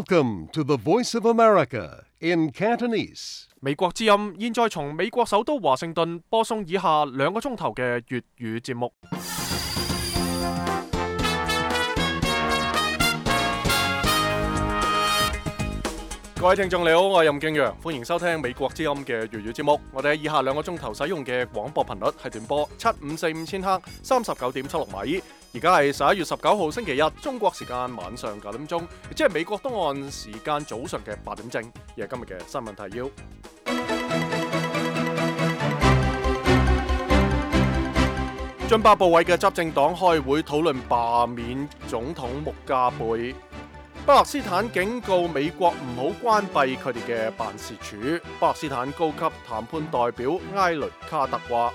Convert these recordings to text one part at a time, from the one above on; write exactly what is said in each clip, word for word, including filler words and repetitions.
Welcome to the Voice of America in Cantonese. 美國之音現在從美國首都華盛頓播送以下兩個鐘頭嘅粵語節目。各位聽眾你好，我係任敬陽，歡迎收聽美國之音嘅粵語節目。我哋喺以下兩個鐘頭使用嘅廣播頻率係短波七五四五千赫，三十九點七六米。而家係十一月十九號星期日，中國時間晚上九點鐘，即係美國東岸時間早上嘅八點正。而係今日嘅新聞提要。津巴布韋嘅執政黨開會討論罷免總統穆加貝。巴勒斯坦警告美國唔好關閉佢哋嘅辦事處。巴勒斯坦高級談判代表埃雷卡特話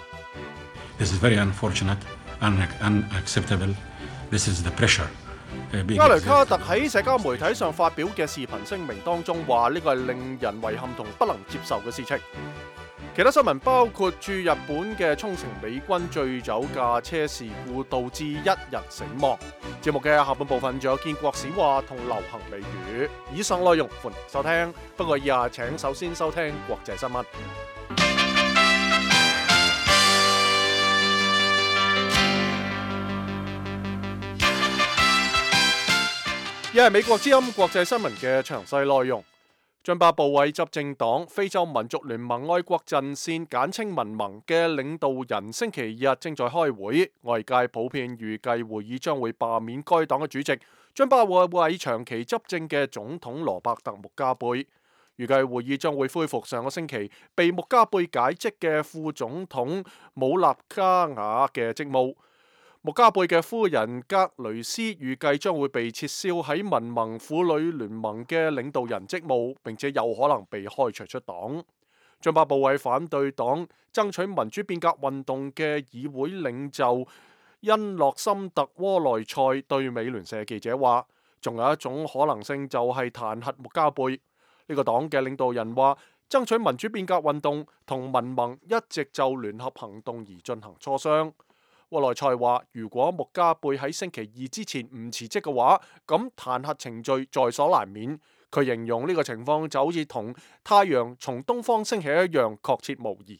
This is very unfortunate, unacceptable. This is the pressure. 埃雷卡特喺社交媒體上發表嘅視頻聲明當中話，呢個係令人遺憾同不能接受嘅事情。其他新聞包括駐日本嘅沖繩美軍醉酒駕車事故導致一人死亡。節目嘅下半部分仲有建國史話同流行美語。以上內容歡迎收聽，不過以下請首先收聽國際新聞。一係美國之音國際新聞嘅詳細內容。津巴布韋執政黨非洲民族聯盟愛國陣線簡稱民盟嘅領導人星期日正在開會，外界普遍預計會議將會罷免該黨嘅主席津巴布韋長期執政嘅總統羅伯特穆加貝。預計會議將會恢復上個星期被穆加貝解職嘅副總統姆納加瓦嘅職務。穆加貝嘅夫人格雷斯預計將會被撤銷喺民盟婦女聯盟嘅領導人職務，並且有可能被開除出黨。津巴布韋反對黨爭取民主變革運動嘅議會領袖恩諾森特窩內塞對美聯社記者話，仲有一種可能性就係彈劾穆加貝。呢個黨嘅領導人話，爭取民主變革運動同民盟一直就聯合行動而進行磋商。沃內塞話：如果穆加貝喺星期二之前唔辭職嘅話，咁彈劾程序在所難免。佢形容呢個情況就好似同太陽從東方升起一樣確切無疑。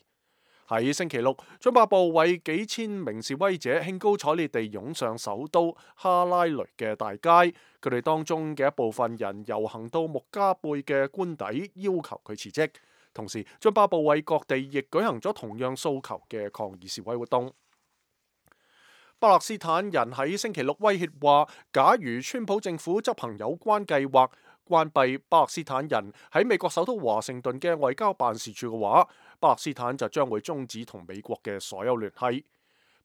喺星期六，津巴布韋幾千名示威者興高采烈地湧上首都哈拉雷嘅大街，佢哋當中嘅一部分人遊行到穆加貝嘅官邸，要求佢辭職。同時，津巴布韋各地亦舉行咗同樣訴求嘅抗議示威活動。巴勒斯坦人喺星期六威脅話，假如川普政府執行有關計劃，關閉巴勒斯坦人喺美國首都華盛頓嘅外交辦事處嘅話，巴勒斯坦就將會終止同美國嘅所有聯繫。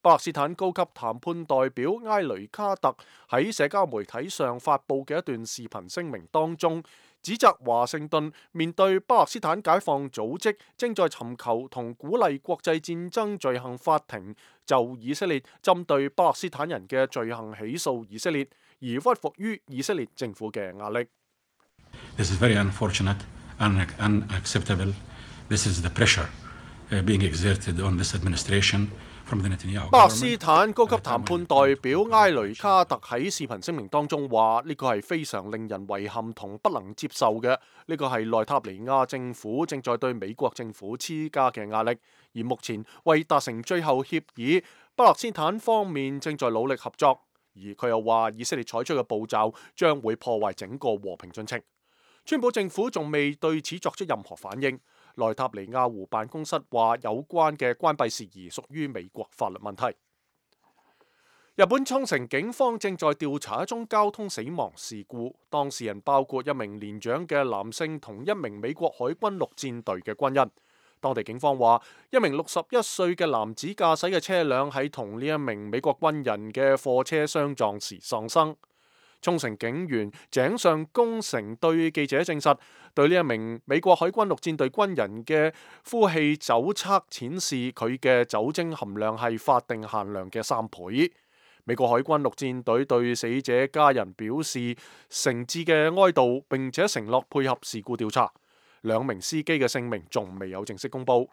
巴勒斯坦高級談判代表埃雷卡特喺社交媒體上發布嘅一段視頻聲明當中，指責華盛頓面對巴勒斯坦解放組織正在尋求同鼓勵國際戰爭罪行法庭就以色列針對巴勒斯坦人嘅罪行起訴以色列，而屈服於以色列政府嘅壓力。This is very unfortunate, unacceptable. This is the pressure being exerted on this administration.巴勒斯坦高級談判代表埃雷卡特喺視頻聲明當中話：呢個係非常令人遺憾同不能接受嘅。呢個係內塔尼亞政府正在對美國政府施加嘅壓力，而目前為達成最後協議，巴勒斯坦方面正在努力合作。而佢又話，以色列採取嘅步驟將會破壞整個和平進程。川普政府仲未對此作出任何反應。內塔尼亞胡辦公室話，有關嘅關閉事宜屬於美國法律問題。日本沖繩警方正在調查一宗交通死亡事故，當事人包括一名年長嘅男性同一名美國海軍陸戰隊嘅軍人。當地警方話，一名六十一歲嘅男子駕駛嘅車輛喺同呢一名美國軍人嘅貨車相撞時喪生。沖繩警員井上公成對記者證實，對呢一名美國海軍陸戰隊軍人嘅呼氣酒測顯示佢嘅酒精含量係法定限量嘅三倍。美國海軍陸戰隊對死者家人表示誠摯嘅哀悼，並且承諾配合事故調查。兩名司機嘅姓名仲未有正式公佈。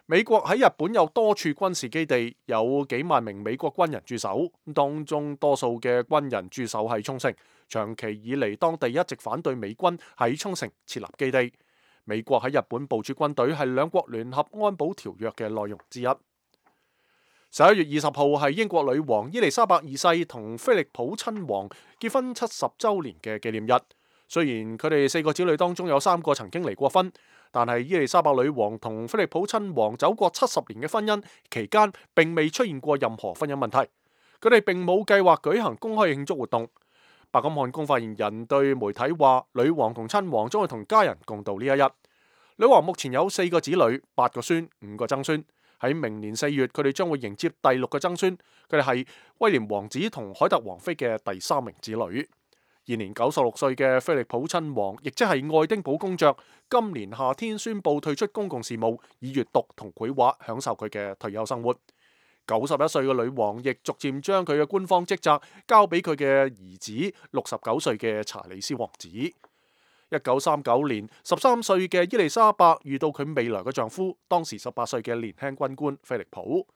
美國喺日本有多處軍事基地，有幾萬名美國軍人駐守，當中多數嘅軍人駐守喺沖繩。長期以嚟，當地一直反對美軍喺沖繩設立基地。美國喺日本部署軍隊係兩國聯合安保條約嘅內容之一。十一月二十號係英國女王伊麗莎白二世同菲利普親王結婚七十週年嘅紀念日。雖然佢哋四個子女當中有三個曾經離過婚，但係伊麗莎白女王同菲利普親王走過七十年嘅婚姻期間，並未出現過任何婚姻問題。佢哋並冇計劃舉行公開慶祝活動。白金漢宮發言人對媒體話，女王同親王將會同家人共度呢一日。女王目前有四個子女、八個孫、五個曾孫。喺明年四月，佢哋將會迎接第六個曾孫。佢哋係威廉王子同凱特王妃嘅第三名子女。現年九十六歲嘅菲利普親王，亦即係愛丁堡公爵，今年夏天宣布退出公共事務，以閱讀同繪畫享受佢嘅退休生活。九十一歲嘅女王亦逐漸將佢嘅官方職責交俾佢嘅兒子六十九歲嘅查理斯王子。一九三九年，十三歲嘅伊麗莎白遇到佢未來嘅丈夫，當時十八歲嘅年輕軍官菲利普。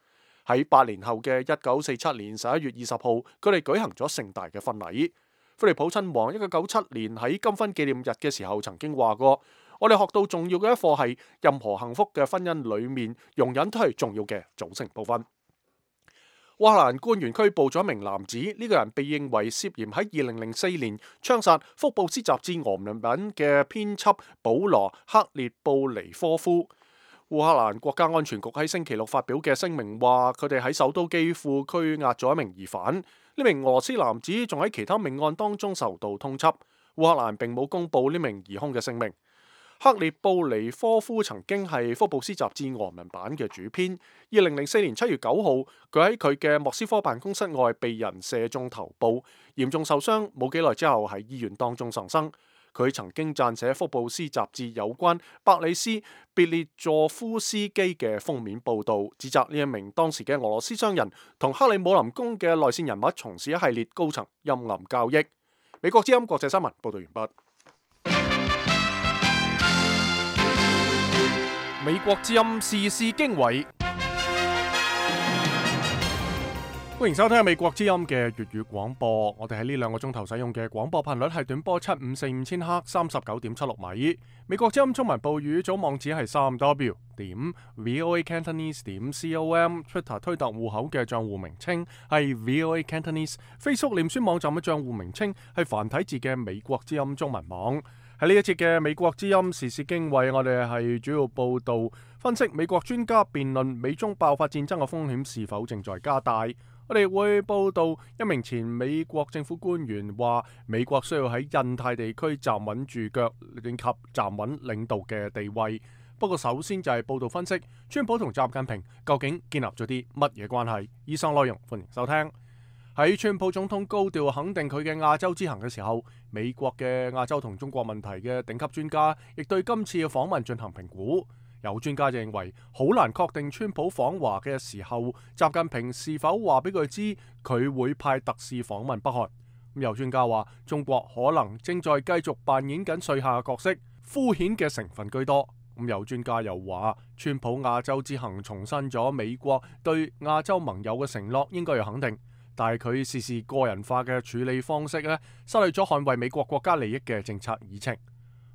喺八年後嘅一九四七年十一月二十號，佢哋舉行咗盛大嘅婚禮。菲利普親王一九九七年喺金婚紀念日嘅時候曾經話過：我哋學到重要嘅一課係，任何幸福嘅婚姻裏面，容忍都係重要嘅組成部分。烏克蘭官員拘捕咗一名男子，呢、這個人被認為涉嫌喺二零零四年槍殺福布斯雜誌俄文版嘅編輯保羅克列布尼科夫。烏克蘭國家安全局喺星期六發表嘅聲明話，佢哋喺首都基輔拘押咗一名疑犯，呢名俄羅斯男子仲喺其他命案當中受到通緝。烏克蘭並冇公布呢名疑兇嘅姓名。克列布尼科夫曾經係福布斯雜誌俄文版嘅主編。二零零四年七月九號，佢喺佢嘅莫斯科辦公室外被人射中頭部，嚴重受傷，冇幾耐之後喺醫院當中喪生。佢曾經撰寫福布斯雜誌有關伯里斯別列佐夫斯基嘅封面報導，指責呢一名當時嘅俄羅斯商人同克里姆林宮嘅內線人物從事一系列高層陰暗交易。美國之音國際新聞報導完畢。美國之音時事經緯，歡迎收聽美國之音嘅粵語廣播。我哋喺呢兩個鐘頭使用嘅廣播頻率係短波七五四五千赫，三十九點七六米。美國之音中文部語組網址係三 w 點 voa cantonese 點 com，Twitter 推特戶口嘅賬戶名稱係 voa cantonese，Facebook 臉書網站嘅賬戶名稱係繁體字嘅美國之音中文網。喺呢一節嘅美國之音時事經緯，我哋係主要報道分析美國專家辯論美中爆發戰爭嘅風險是否正在加大。我哋會報道一名前美國政府官員話，美國需要喺印太地區站穩住腳，以及站穩領導嘅地位。不過首先就係報道分析，川普同習近平究竟建立咗啲乜嘢關係？以上內容歡迎收聽。喺川普總統高調肯定佢嘅亞洲之行嘅時候，美國嘅亞洲同中國問題嘅頂級專家亦對今次嘅訪問進行評估。有專家就認為，好難確定川普訪華嘅時候，習近平是否話俾佢知佢會派特使訪問北韓。咁有專家話，中國可能正在繼續扮演緊帥下嘅角色，敷衍嘅成分居多。咁有專家又話，川普亞洲之行重申咗美國對亞洲盟友嘅承諾，應該要肯定。但係佢事事個人化嘅處理方式咧，失去咗捍衛美國國家利益嘅政策議程。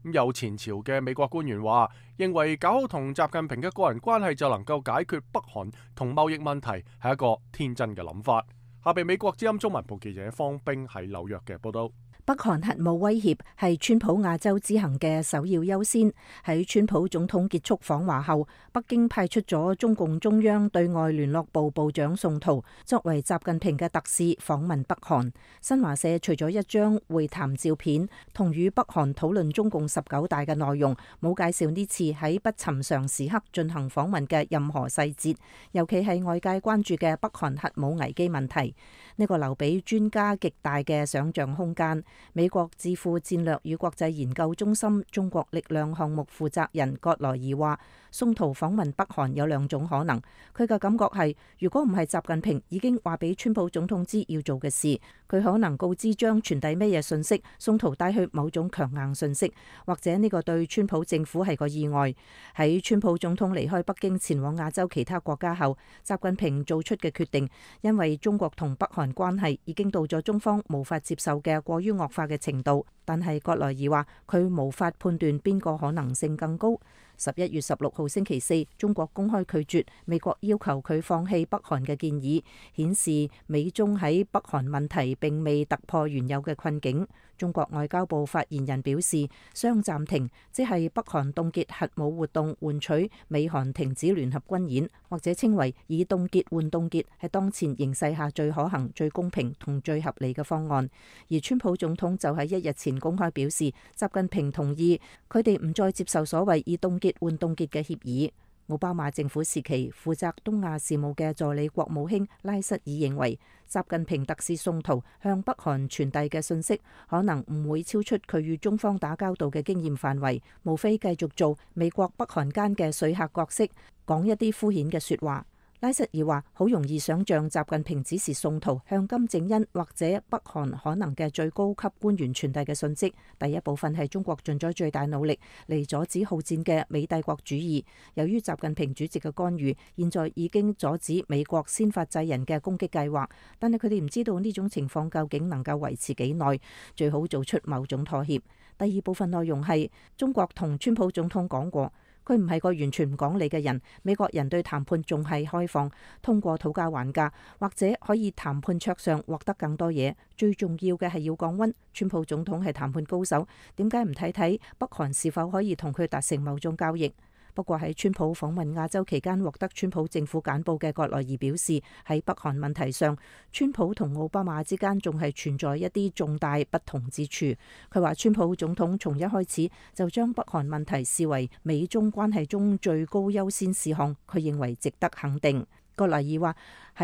咁有前朝嘅美國官員話，認為搞好同習近平嘅個人關係就能夠解決北韓同貿易問題，係一個天真嘅諗法。下邊美國之音中文部記者方冰喺紐約嘅報道。北韓核武威脅係川普亞洲之行嘅首要優先。喺川普總統結束訪華後，北京派出咗中共中央對外聯絡部部長宋濤作為習近平嘅特使訪問北韓。新華社除咗一張會談照片同與北韓討論中共十九大嘅內容，冇介紹呢次喺不尋常時刻進行訪問嘅任何細節，尤其係外界關注嘅北韓核武危機問題。呢個留俾專家極大嘅想像空間。美國智庫戰略與國際研究中心中國力量項目負責人葛萊爾話，宋濤訪問北韓有兩種可能。佢嘅感覺係，如果唔係習近平已經話俾川普總統知要做嘅事，佢可能告知將傳遞咩嘢信息，宋濤帶去某種強硬信息，或者呢個對川普政府係個意外。喺川普總統離開北京前往亞洲其他國家後，習近平做出嘅決定，因為中國同北韓關係已經到咗中方無法接受嘅過於惡化嘅程度。但係葛萊爾話，佢無法判斷邊個可能性更高。十一月十六號星期四，中國公開拒絕美國要求佢放棄北韓嘅建議，顯示美中喺北韓問題並未突破原有嘅困境。中國外交部發言人表示，雙暫停即係北韓凍結核武活動，換取美韓停止聯合軍演，或者稱為以凍結換凍結，係當前形勢下最可行、最公平同最合理嘅方案。而川普總統就喺一日前公開表示，習近平同意佢哋唔再接受所謂以凍結換凍結嘅協議。奧巴馬政府時期負責東亞事務嘅助理國務卿拉瑟爾認為，習近平特使宋濤向北韓傳遞嘅信息可能唔會超出佢與中方打交道嘅經驗範圍，無非繼續做美國北韓間嘅說客角色，講一啲敷衍嘅說話。拉瑟爾話：好容易想像習近平指示宋濤向金正恩或者北韓可能嘅最高級官員傳遞嘅信息。第一部分係中國盡咗最大努力嚟阻止好戰嘅美帝國主義。由於習近平主席嘅干預，現在已經阻止美國先發制人嘅攻擊計劃。但係佢哋唔知道呢種情況究竟能夠維持幾耐，最好做出某種妥協。第二部分內容係中國同川普總統講過，佢唔係個完全唔講理嘅人。美國人對談判仲係開放，通過討價還價，或者可以談判桌上獲得更多嘢。最重要嘅係要降溫。川普總統係談判高手，點解唔睇睇北韓是否可以同佢達成某種交易？不過喺川普訪問亞洲期間獲得川普政府簡報嘅葛萊爾表示，喺北韓問題上，川普同奧巴馬之間仲係存在一啲重大不同之處。佢話川普總統從一開始就將北韓問題視為美中關係中最高優先事項，佢認為值得肯定。葛萊爾話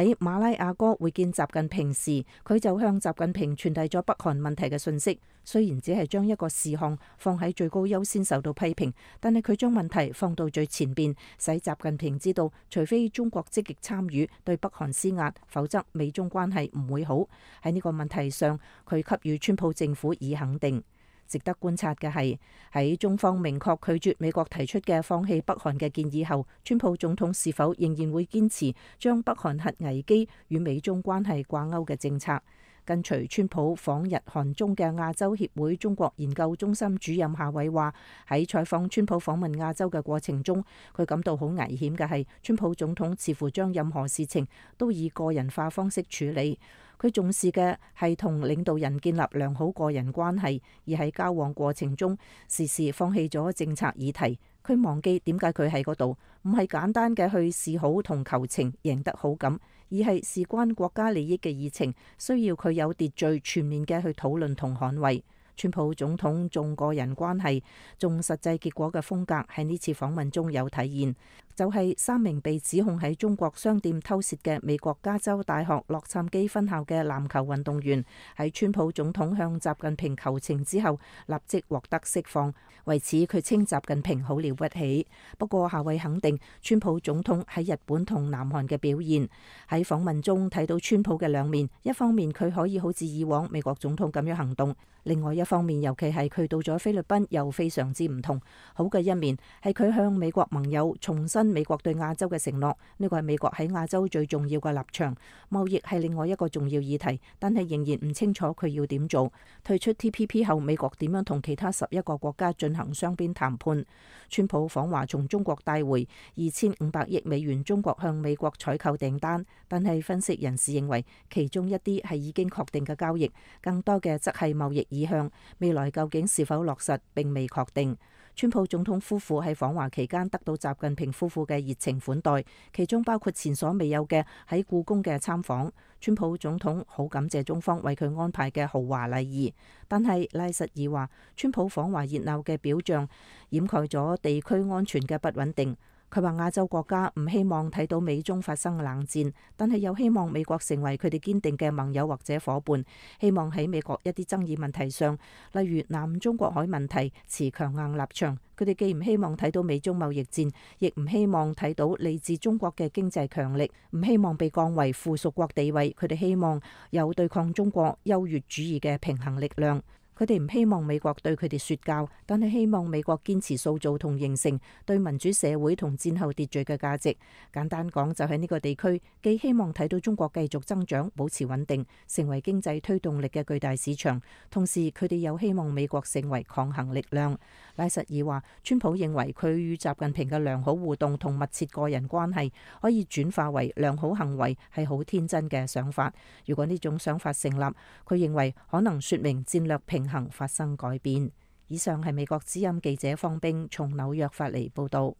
喺馬拉亞哥會見習近平時，佢就向習近平傳遞咗北韓問題嘅信息。雖然只係將一個事項放喺最高優先受到批評，但係佢將問題放到最前邊，使習近平知道，除非中國積極參與對北韓施壓，否則美中關係唔會好。喺呢個問題上，佢給予川普政府以肯定。值得觀察嘅係，喺中方明確拒絕美國提出嘅放棄北韓嘅建議後，川普總統是否仍然會堅持將北韓核危機與美中關係掛鈎嘅政策？跟隨川普訪日韓中嘅亞洲協會中國研究中心主任夏偉話：喺採訪川普訪問亞洲嘅過程中，佢感到好危險嘅係，川普總統似乎將任何事情都以個人化方式處理。佢重視嘅係同領導人建立良好個人關係，而喺交往過程中時時放棄咗政策議題。佢忘記點解佢喺嗰度，唔係簡單嘅去示好同求情贏得好感，而係事關國家利益嘅議程，需要佢有秩序全面嘅去討論同捍衛。川普總統重個人關係、重實際結果嘅風格喺呢次訪問中有體現，就係三名被指控喺中國商店偷竊嘅美國加州大學洛杉磯分校嘅籃球運動員，喺川普總統向習近平求情之後，立即獲得釋放。為此，佢稱習近平好了不起。不過，夏偉肯定川普總統喺日本同南韓嘅表現。喺訪問中睇到川普嘅兩面，一方面佢可以好似以往美國總統咁樣行動，另外一方面，尤其係佢到咗菲律賓又非常之唔同。好嘅一面係佢向美國盟友重申美國對亞洲嘅承諾，呢個係美國喺亞洲最重要嘅立場。貿易係另外一個重要議題，但係仍然唔清楚佢要點做。退出 T P P 後，美國點樣同其他十一個國家進行雙邊談判？川普訪華從中國帶回二千五百億美元中國向美國採購訂單，但係分析人士認為其中一啲係已經確定嘅交易，更多嘅則係貿易意向，未來究竟是否落實並未確定。川普總統夫婦喺訪華期間得到習近平夫婦嘅熱情款待，其中包括前所未有嘅喺故宮嘅參訪。川普總統好感謝中方為佢安排嘅豪華禮儀，但係拉什爾話，川普訪華熱鬧嘅表象掩蓋咗地區安全嘅不穩定。佢話亞洲國家唔希望睇到美中發生冷戰，但係又希望美國成為佢哋堅定嘅盟友或者夥伴，希望喺美國一啲爭議問題上，例如南中國海問題，持強硬立場。佢哋既唔希望睇到美中貿易戰，亦唔希望睇到嚟自中國嘅經濟強力，唔希望被降為附屬國地位。佢哋希望有對抗中國優越主義嘅平衡力量。佢哋唔希望美國對佢哋說教，但係希望美國堅持塑造同形成對民主社會同戰後秩序嘅價值。簡單講，就喺呢個地區，既希望睇到中國繼續增長，保持穩定，成為經濟推動力嘅巨大市場，同時佢哋又希望美國成為抗衡力量。拉什爾話，川普認為佢與習近平嘅良好互動同密切個人關係可以轉化為良好行為，係好天真嘅想法。如果呢種想法成立，佢認為可能說明戰略平衡發生改變。以上係美國之音記者方冰從紐約發嚟報道。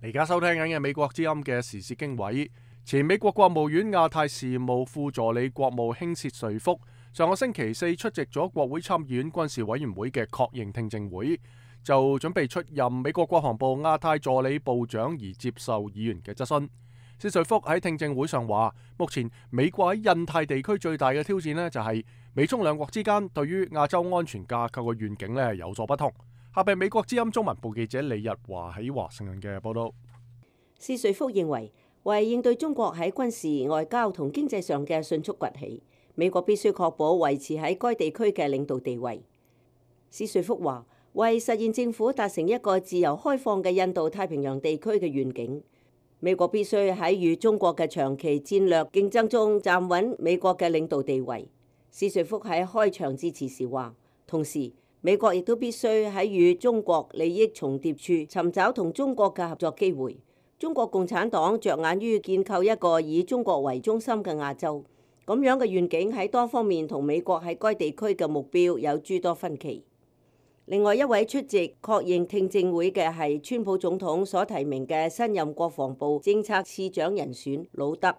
而家收聽緊嘅美國之音嘅時事經緯，前美國國務院亞太事務副助理國務卿薛瑞福上個星期四出席咗國會參議院軍事委員會嘅確認聽證會，就準備出任美國國防部亞太助理部長而接受議員嘅質詢。薛瑞福喺聽證會上話，目前美國喺印太地區最大嘅挑戰呢，就係美中兩國之間對於亞洲安全架構嘅願景呢有所不同。下邊美國之音中文部記者李日華喺華盛頓嘅報道。薛瑞福認為，為應對中國喺軍事、外交同經濟上嘅迅速崛起，美國必須確保維持喺該地區嘅領導地位。薛瑞福話，為實現政府達成一個自由開放嘅印度太平洋地區嘅願景，美國必須喺與中國嘅長期戰略競爭中站穩美國嘅領導地位。薛瑞福喺開場致辭時話，同時美國亦都必須喺與中國利益重疊處尋找同中國嘅合作機會。中國共產黨着眼於建構一個以中國為中心嘅亞洲，咁樣嘅願景喺多方面同美國喺該地區嘅目標有諸多分歧。另外一位出席確認聽證會嘅係川普總統所提名嘅新任國防部政策次長人選魯德。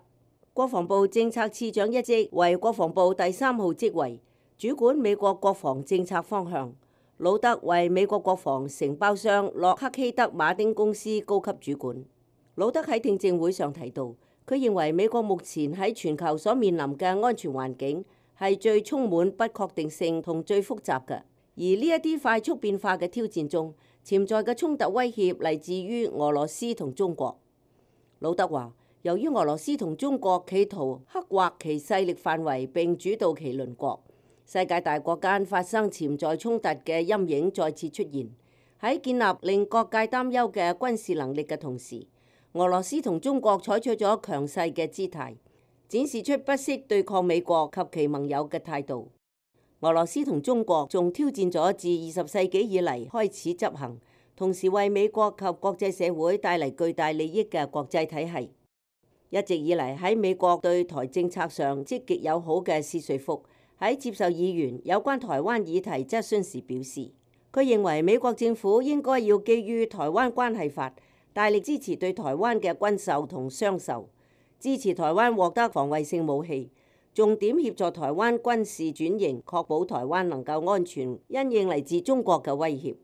國防部政策次長一職為國防部第三號職位，主管美國國防政策方向。魯德為美國國防承包商洛克希德馬丁公司高級主管。魯德喺聽證會上提到，佢認為美國目前喺全球所面臨嘅安全環境係最充滿不確定性同最複雜嘅。而呢一啲快速變化嘅挑戰中，潛在嘅衝突威脅嚟自於俄羅斯同中國。魯德話，由於俄羅斯同中國企圖刻劃其勢力範圍並主導其鄰國，世界大國間發生潛在衝突嘅陰影再次出現。喺建立令各界擔憂嘅軍事能力嘅同時，俄羅斯同中國採取咗強勢嘅姿態，展示出不惜對抗美國及其盟友嘅態度。俄羅斯同中國仲挑戰咗自二十世紀以嚟開始執行，同時為美國及國際社會帶嚟巨大利益嘅國際體系。一直以嚟喺美國對台政策上積極友好嘅薛瑞福喺接受議員有關台灣議題質詢時表示，佢認為美國政府應該要基於台灣關係法，大力支持對台灣嘅軍售同商售，支持台灣獲得防衛性武器，重點協助台灣軍事轉型，確保台灣能夠安全因應嚟自中國嘅威脅。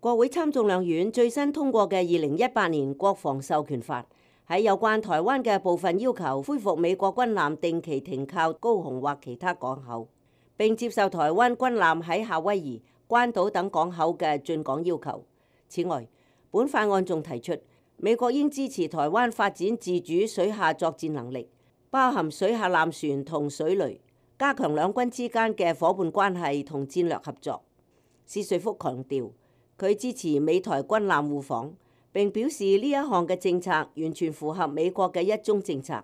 國會參眾兩院最新通過嘅二零一八年國防授權法，喺有關台灣嘅部分要求恢復美國軍艦定期停靠高雄或其他港口，並接受台灣軍艦喺夏威夷、關島等港口嘅進港要求。此外，本法案仲提出，美國應支持台灣發展自主水下作戰能力，包含水下艦船同水雷，加強兩軍之間嘅夥伴關係同戰略合作。薛瑞福強調，佢支持美台軍艦互訪，並表示呢一項嘅政策完全符合美國嘅一中政策，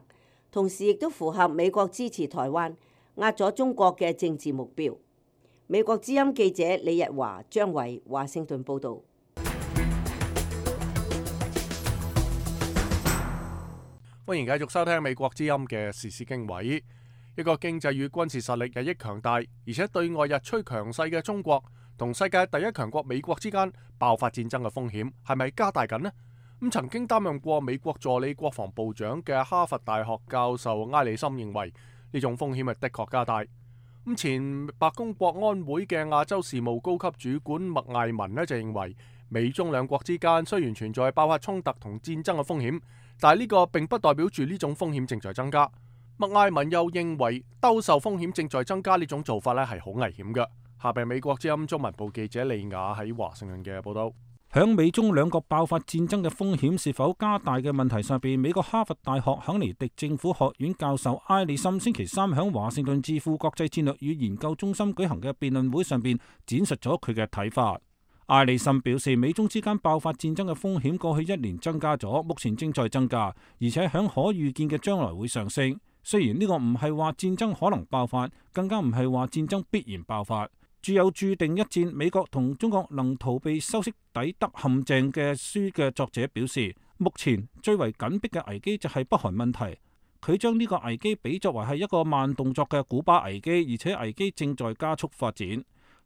同時亦都符合美國支持台灣、壓咗中國嘅政治目標。美國之音記者李日華、張偉華盛頓報導。歡迎繼續收聽美國之音嘅時事經緯。一個經濟與軍事實力日益強大，而且對外日趨強勢嘅中國，同世界第一強國美國之間爆發戰爭嘅風險係咪加大緊呢？咁曾經擔任過美國助理國防部長嘅哈佛大學教授埃里森認為，呢種風險係的確加大。咁前白宮國安會嘅亞洲事務高級主管麥艾文呢就認為，美中兩國之間雖然存在爆發衝突同戰爭嘅風險，但係呢個並不代表住呢種風險正在增加。麥艾文又認為，兜售風險正在增加呢種做法呢係好危險嘅。下邊美國之音中文部記者利亞喺華盛頓嘅報道。響美中兩國爆發戰爭嘅風險是否加大嘅問題上邊，美國哈佛大學肯尼迪政府學院教授埃里森星期三響華盛頓智庫國際戰略與研究中心舉行嘅辯論會上邊展述咗佢嘅睇法。埃里森表示，美中之間爆發戰爭嘅風險過去一年增加咗，目前正在增加，而且響可預見嘅將來會上升。雖然呢個唔係話戰爭可能爆發，更加唔係話戰爭必然爆發。著有注定一戰美國同中國能逃避修昔底德陷阱嘅書嘅作者表示，目前最為緊迫嘅危機就係北韓問題。佢將呢個危機比作為係一個慢動作嘅古巴危機，而且危機正在加速發展。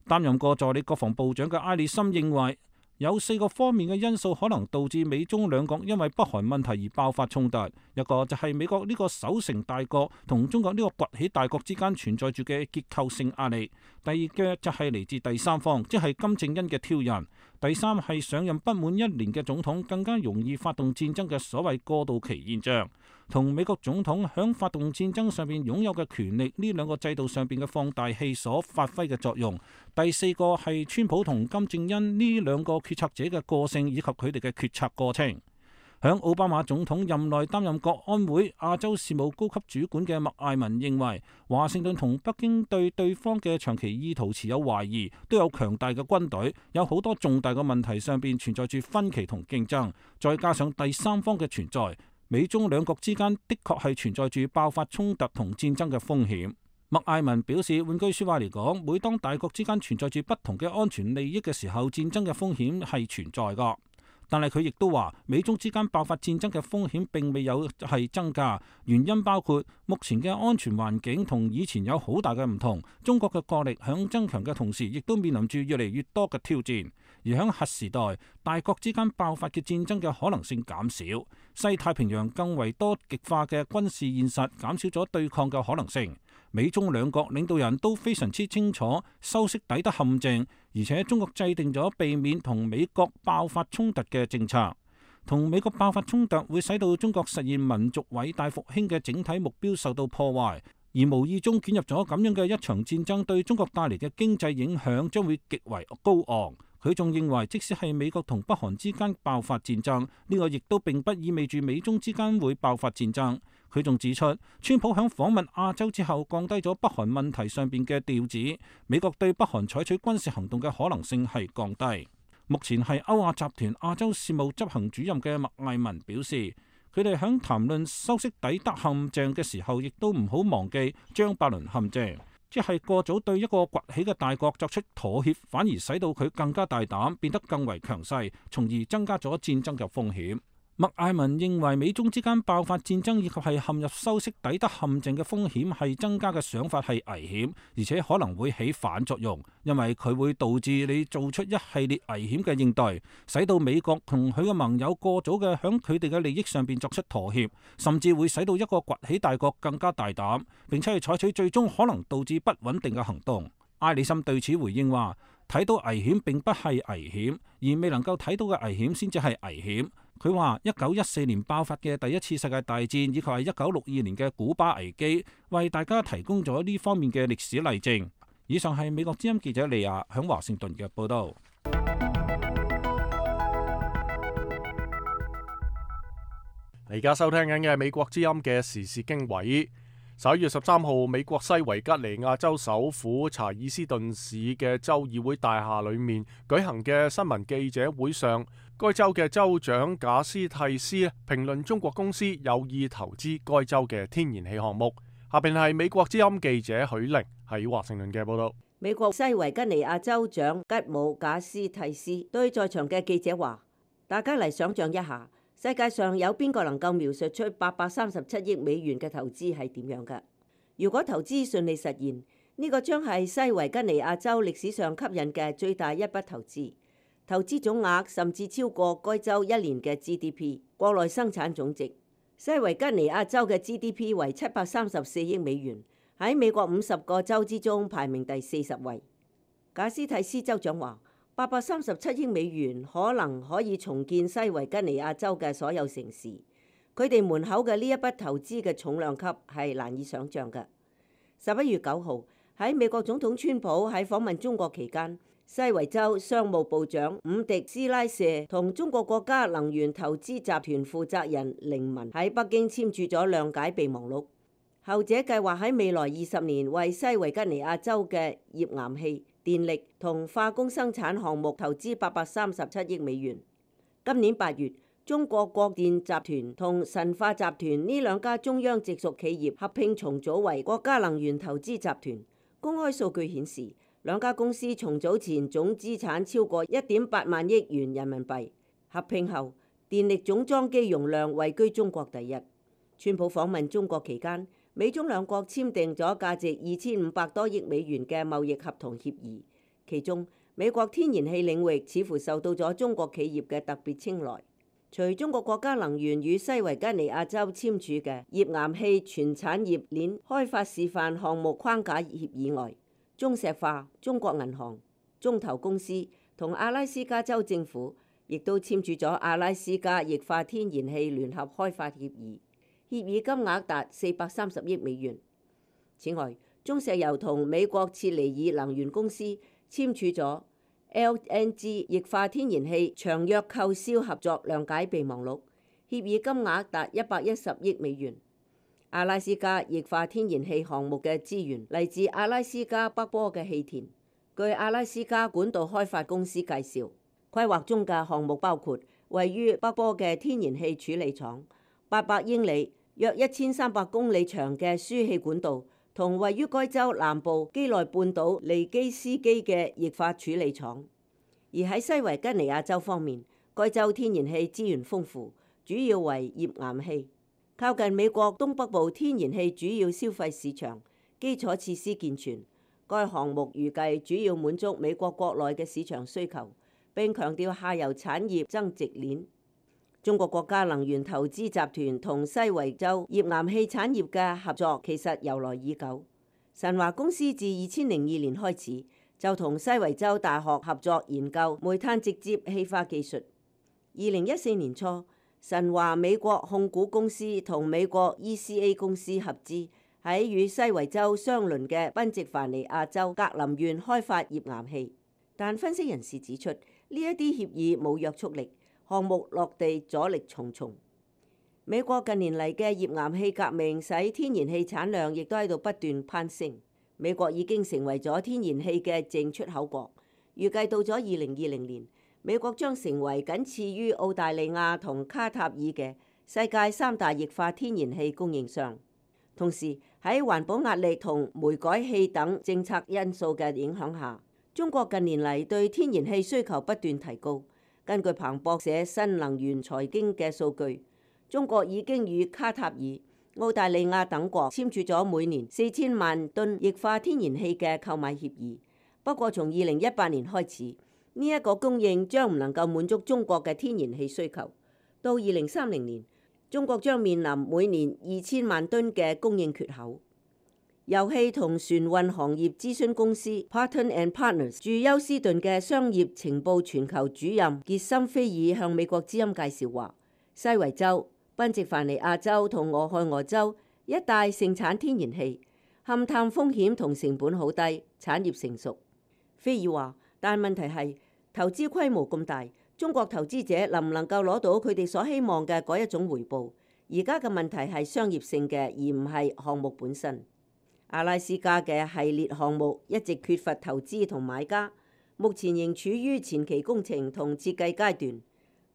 擔任過助理國防部長嘅埃里森認為，有四個方面嘅因素可能導致美中兩國因為北韓問題而爆發衝突。一個就係美國呢個守成大國同中國呢個崛起大國之間存在住嘅結構性壓力。第二嘅就係嚟自第三方，即係金正恩嘅挑釁。第三係上任不滿一年嘅總統更加容易發動戰爭嘅所謂過渡期現象，同美國總統響發動戰爭上邊擁有嘅權力呢兩個制度上邊嘅放大器所發揮嘅作用。第四個係川普同金正恩呢兩個決策者嘅個性以及佢哋嘅決策過程。響奧巴馬總統任內擔任國安會亞洲事務高級主管嘅麥艾文認為，華盛頓同北京對對方嘅長期意圖持有懷疑，都有強大嘅軍隊，有好多重大嘅問題上邊存在住分歧同競爭，再加上第三方嘅存在，美中兩國之間的確係存在住爆發衝突同戰爭嘅風險。麥艾文表示，換句說話嚟講，每當大國之間存在住不同嘅安全利益嘅時候，戰爭嘅風險係存在噶。但係佢亦都話，美中之間爆發戰爭嘅風險並未有係增加，原因包括目前嘅安全環境同以前有好大嘅唔同，中國嘅國力響增強嘅同時，亦都面臨住越嚟越多嘅挑戰。而響核時代，大國之間爆發嘅戰爭嘅可能性減少，西太平洋更為多極化嘅軍事現實減少咗對抗嘅可能性。美中兩國領導人都非常之清楚修昔底德陷阱，而且中國制定咗避免同美國爆發衝突嘅政策。同美國爆發衝突會使到中國實現民族偉大復興嘅整體目標受到破壞，而無意中捲入咗咁樣嘅一場戰爭，對中國帶嚟嘅經濟影響將會極為高昂。佢仲認為，即使係美國同北韓之間爆發戰爭，呢個亦都並不意味住美中之間會爆發戰爭。佢仲指出，川普響訪問亞洲之後，降低咗北韓問題上邊嘅調子，美國對北韓採取軍事行動嘅可能性係降低。目前係歐亞集團亞洲事務執行主任嘅麥艾文表示，佢哋響談論修昔底德陷阱嘅時候，亦都唔好忘記張伯倫陷阱，即係過早對一個崛起嘅大國作出妥協，反而使到佢更加大膽，變得更為強勢，從而增加咗戰爭嘅風險。麥艾文認為，美中之間爆發戰爭以及係陷入修昔底德陷阱嘅風險係增加嘅想法係危險，而且可能會起反作用，因為佢會導致你做出一系列危險嘅應對，使到美國同佢嘅盟友過早嘅響佢哋嘅利益上邊作出妥協，甚至會使到一個崛起大國更加大膽，並且係採取最終可能導致不穩定嘅行動。埃里森對此回應話，睇到危險並不係危險，而未能夠睇到嘅危險先至係危險。佢話一九一四年爆發嘅第一次世界大戰，以及係一九六二年嘅古巴危機，為大家提供咗呢方面嘅歷史例證。以上係美國之音記者利亞響華盛頓嘅報道。而家收聽緊嘅係美國之音嘅時事經緯。十一月十三號，美國西維吉尼亞州首府查爾斯頓市嘅州議會大廈裏面舉行嘅新聞記者會上，該州嘅州長賈斯蒂斯評論中國公司有意投資該州嘅天然氣項目。下邊係美國之音記者許玲喺華盛頓嘅報道。美國西維吉尼亞州長吉姆賈斯蒂斯對在場嘅記者話：大家嚟想象一下，世界上有邊個能夠描述出八百三十七億美元嘅投資係點樣㗎？如果投資順利實現，呢個將係西維吉尼亞州歷史上吸引嘅最大一筆投資，投資總額甚至超過該州一年嘅 G D P 國內生產總值。西維吉尼亞州嘅 G D P 為七百三十四億美元，喺美國五十個州之中排名第四十位。賈斯蒂斯州長話，八百三十七億美元可能可以重建西維吉尼亞州嘅所有城市。佢哋門口嘅呢一筆投資嘅重量級係難以想像嘅。十一月九號喺美國總統川普喺訪問中國期間，西維州商務部長伍迪斯拉舍同中國國家能源投資集團負責人凌文喺北京簽署咗諒解備忘錄。後者計劃喺未來二十年為西維吉尼亞州嘅頁岩氣、電力同化工生產項目投資八百三十七億美元。今年八月，中國國電集團同神華集團呢兩家中央直屬企業合併重組為國家能源投資集團。公開數據顯示，兩家公司重組前總資產超過一點八萬億元人民幣，合併後電力總裝機容量位居中國第一。川普訪問中國期間，美中兩國簽訂咗價值二千五百多億美元嘅貿易合同協議，其中美國天然氣領域似乎受到咗中國企業嘅特別青睞。除中國國家能源與西維吉尼亞州簽署嘅頁岩氣全產業鏈開發示範項目框架協議外，中石化、中國銀行、中投公司同阿拉斯加州政府亦都簽署咗阿拉斯加液化天然氣聯合開發協議，協議金額達四百三十億美元。此外，中石油同美國切尼爾能源公司簽署咗L N G 液化天然氣長約購銷合作諒解備忘錄，協議金額達一百一十億美元。阿拉斯加液化天然氣項目嘅資源嚟自阿拉斯加北坡嘅氣田。據阿拉斯加管道開發公司介紹，規劃中嘅項目包括位於北坡嘅天然氣處理廠、八百英里約一千三百公里長嘅輸氣管道，同位於該州南部基內半島尼基斯基嘅液化處理廠。而喺西維吉尼亞州方面，該州天然氣資源豐富，主要為頁岩氣，靠近美國東北部天然氣主要消費市場，基礎設施健全。該項目預計主要滿足美國國內嘅市場需求，並強調下游產業增值鏈。中國國家能源投資集團同西維州頁岩氣產業嘅合作其實由來已久。神華公司自二千零二年開始就同西維州大學合作研究煤炭直接氣化技術。二零一四年初，神華美國控股公司同美國 E C A 公司合資喺與西維州相鄰嘅賓夕凡尼亞州格林縣開發頁岩氣。但分析人士指出，呢一啲協議冇約束力，項目落地阻力重重。美國近年嚟嘅頁岩氣革命使天然氣產量亦都喺度不斷攀升。美國已經成為咗天然氣嘅淨出口國，預計到咗二零二零年，美國將成為僅次於澳大利亞同卡塔爾嘅世界三大液化天然氣供應商。同時喺環保壓力同煤改氣等政策因素嘅影響下，中國近年嚟對天然氣需求不斷提高。根據彭博社新能源財經嘅數據，中國已經與卡塔爾、澳大利亞等國簽署咗每年四千萬噸液化天然氣嘅購買協議。不過，從二零一八年開始，呢一個供應將唔能夠滿足中國嘅天然氣需求。到二零三零年，中國將面臨每年二千萬噸嘅供應缺口。油氣同船運行業諮詢公司 Paton and Partners 駐休斯頓嘅商業情報全球主任傑森菲爾向美國之音介紹話，西維州、賓夕凡尼亞州同俄亥俄州一帶盛產天然氣，勘探風險同成本好低，產業成熟。菲爾話，但問題係投資規模咁大，中國投資者能唔能夠攞到佢哋所希望嘅嗰一種回報？而家嘅問題係商業性嘅，而唔係項目本身。阿拉斯加嘅系列項目一直缺乏投資同買家，目前仍處於前期工程同設計階段。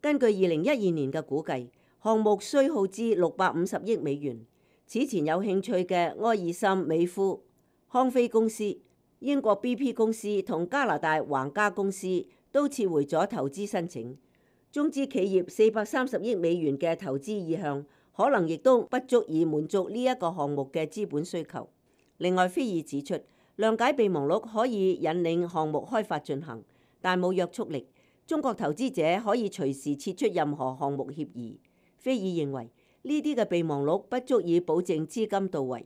根據二零一二年嘅估計，項目需耗資六百五十億美元。此前有興趣嘅埃爾森美孚、康菲公司、英國 B P 公司同加拿大皇家公司都撤回咗投資申請。中資企業四百三十億美元嘅投資意向，可能亦都不足以滿足呢一個項目嘅資本需求。另外，菲爾指出，諒解備忘錄可以引領項目開發進行，但冇約束力。中國投資者可以隨時撤出任何項目協議。菲爾認為呢啲嘅備忘錄不足以保證資金到位。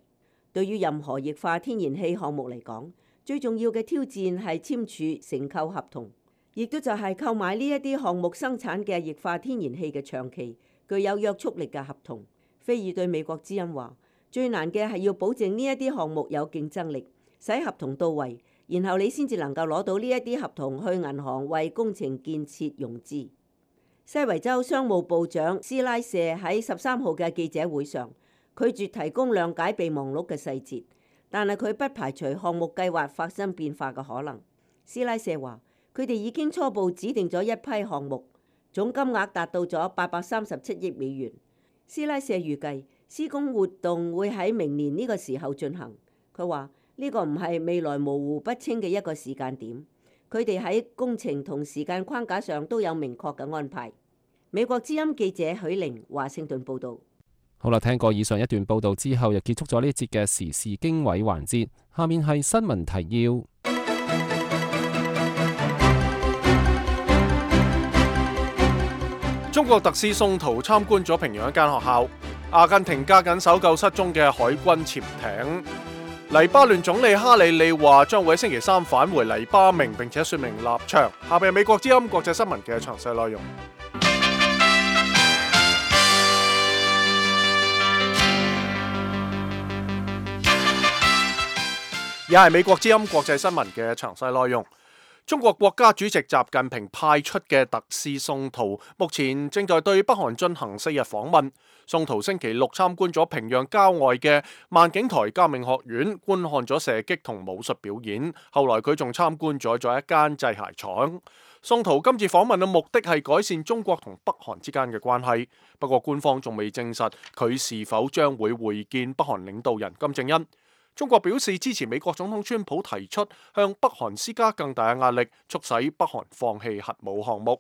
對於任何液化天然氣項目嚟講，最重要嘅挑戰係簽署承購合同，亦都就係購買呢一啲項目生產嘅液化天然氣嘅長期具有約束力嘅合同。菲爾對美國之音話：最難嘅係要保證呢一啲項目有競爭力，使合同到位，然後你先至能夠攞到呢一啲合同去銀行為工程建設融資。西維州商務部長斯拉舍喺十三號嘅記者會上拒絕提供諒解備忘錄嘅細節，但係佢不排除項目計劃發生變化嘅可能。斯拉舍話：佢哋已經初步指定咗一批項目，總金額達到咗八百三十七億美元。斯拉舍預計施工活動會喺明年呢個時候進行。佢話呢個唔係未來模糊不清嘅一個時間點，佢哋喺工程同時間框架上都有明確嘅安排。美國之音記者許玲華盛頓報導。好啦，聽過以上一段報導之後，又結束咗呢一節嘅時事經緯環節。下面係新聞提要。中國特使宋濤參觀咗平壤一間學校。阿根廷加緊搜救失蹤嘅海軍潛艇。黎巴嫩總理哈里利話將會喺星期三返回黎巴嫩，並且說明立場。下邊係美國之音國際新聞嘅詳細內容。也係美國之音國際新聞嘅詳細內容。中國國家主席習近平派出嘅特使宋濤，目前正在對北韓進行四日訪問。宋濤星期六參觀咗平壤郊外嘅萬景台革命學院，觀看咗射擊同武術表演。後來佢仲參觀咗咗一間製鞋廠。宋濤今次訪問嘅目的係改善中國同北韓之間嘅關係，不過官方仲未證實佢是否將會會見北韓領導人金正恩。中國表示支持美國總統川普提出向北韓施加更大嘅壓力，促使北韓放棄核武項目。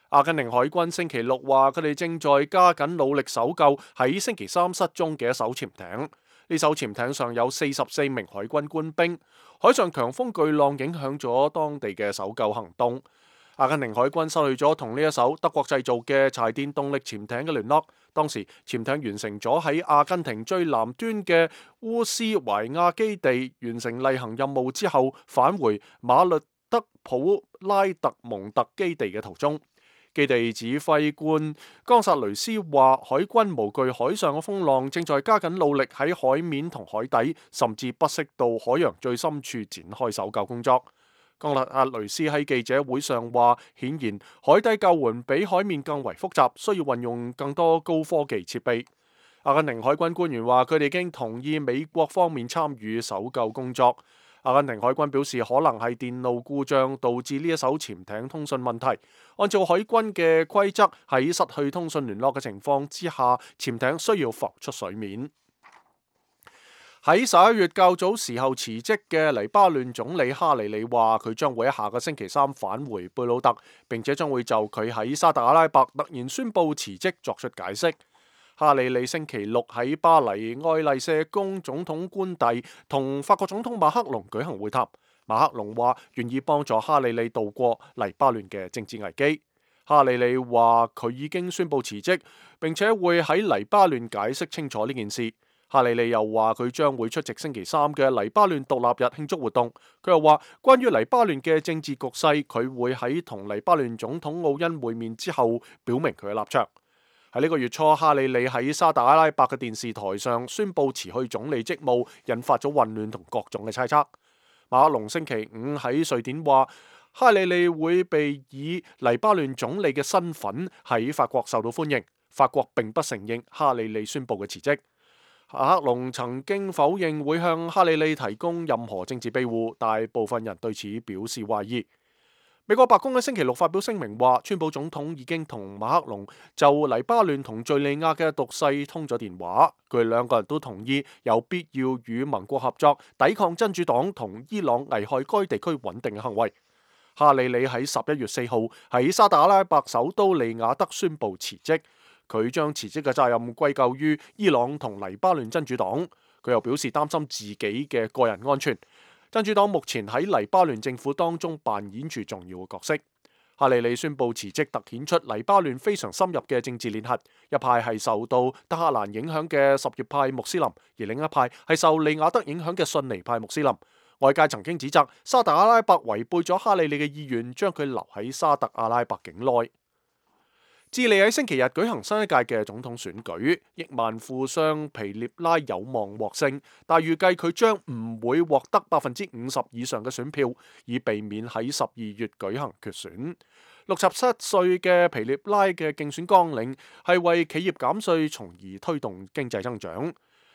阿根廷海軍星期六話，佢哋正在加緊努力搜救喺星期三失蹤嘅一艘潛艇。呢艘潛艇上有四十四名海軍官兵。海上強風巨浪影響咗當地嘅搜救行動。阿根廷海軍失去咗同呢一艘德國製造嘅柴電動力潛艇嘅聯絡。當時潛艇完成咗喺阿根廷最南端嘅烏斯懷亞基地完成例行任務之後，返回馬略德普拉特蒙特基地嘅途中。基地指揮官岡薩雷斯話，海軍無懼海上嘅風浪，正在加緊努力喺海面同海底，甚至不惜到海洋最深處展開搜救工作。岡薩雷斯喺記者會上話，顯然海底救援比海面更為複雜，需要運用更多高科技設備。阿根廷海軍官員話，佢哋已經同意美國方面參與搜救工作。阿根廷海軍表示，可能係電路故障導致呢一艘潛艇通訊問題。按照海軍嘅規則，喺失去通訊聯絡嘅情況之下，潛艇需要浮出水面。喺十一月較早時候辭職嘅黎巴嫩總理哈里里話，佢將會喺下個星期三返回貝魯特，並且將會就佢喺沙特阿拉伯突然宣布辭職作出解釋。哈里里星期六喺巴黎愛麗舍宮總統官邸同法國總統馬克龍舉行會談。馬克龍話願意幫助哈里里度過黎巴嫩嘅政治危機。哈里里話佢已經宣布辭職，並且會喺黎巴嫩解釋清楚呢件事。哈里里又話佢將會出席星期三嘅黎巴嫩獨立日慶祝活動。佢又話關於黎巴嫩嘅政治局勢，佢會喺同黎巴嫩總統奧恩會面之後表明佢嘅立場。喺呢個月初，哈里里喺沙特阿拉伯嘅電視台上宣布辭去總理職務，引發咗混亂同各種嘅猜測。馬克龍星期五喺瑞典話，哈里里會被以黎巴嫩總理嘅身份喺法國受到歡迎。法國並不承認哈里里宣布嘅辭職。馬克龍曾經否認會向哈里里提供任何政治庇護，大部分人對此表示懷疑。美國白宮喺星期六發表聲明話，川普總統已經同馬克龍就黎巴嫩同敘利亞嘅局勢通咗電話，佢哋兩個人都同意有必要與盟國合作，抵抗真主黨同伊朗危害該地區穩定嘅行為。哈里里喺十一月四號喺沙特阿拉伯首都利雅得宣布辭職，佢將辭職嘅責任歸咎於伊朗同黎巴嫩真主黨。佢又表示擔心自己嘅個人安全。真主黨目前喺黎巴嫩政府當中扮演住重要嘅角色。哈里利宣布辭職，突顯出黎巴嫩非常深入嘅政治聯繫。一派係受到德黑蘭影響嘅什葉派穆斯林，而另一派係受利雅得影響嘅遜尼派穆斯林。外界曾經指責沙特阿拉伯違背咗哈里利嘅意願，將佢留喺沙特阿拉伯境內。智利喺星期日舉行新一屆嘅總統選舉，億萬富商皮涅拉有望獲勝，但預計佢將唔會獲得百分之五十以上嘅選票，以避免喺十二月舉行決選。六十七歲嘅皮涅拉嘅競選綱領係為企業減稅，從而推動經濟增長。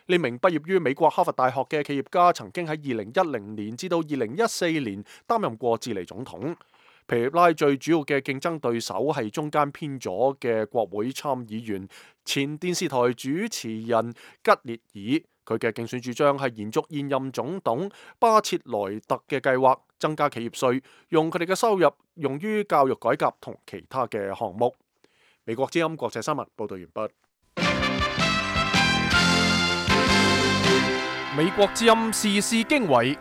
呢名畢業於美國哈佛大學嘅企業家曾經喺二零一零年至到二零一四年擔任過智利總統。皮涅拉最主要嘅競爭對手係中間偏左嘅國會參議員、前電視台主持人吉列爾。佢嘅競選主張係延續現任總統巴切萊特嘅計劃，增加企業稅，用佢哋嘅收入用於教育改革同其他嘅項目。美國之音國際新聞報道完畢。美國之音時事經緯。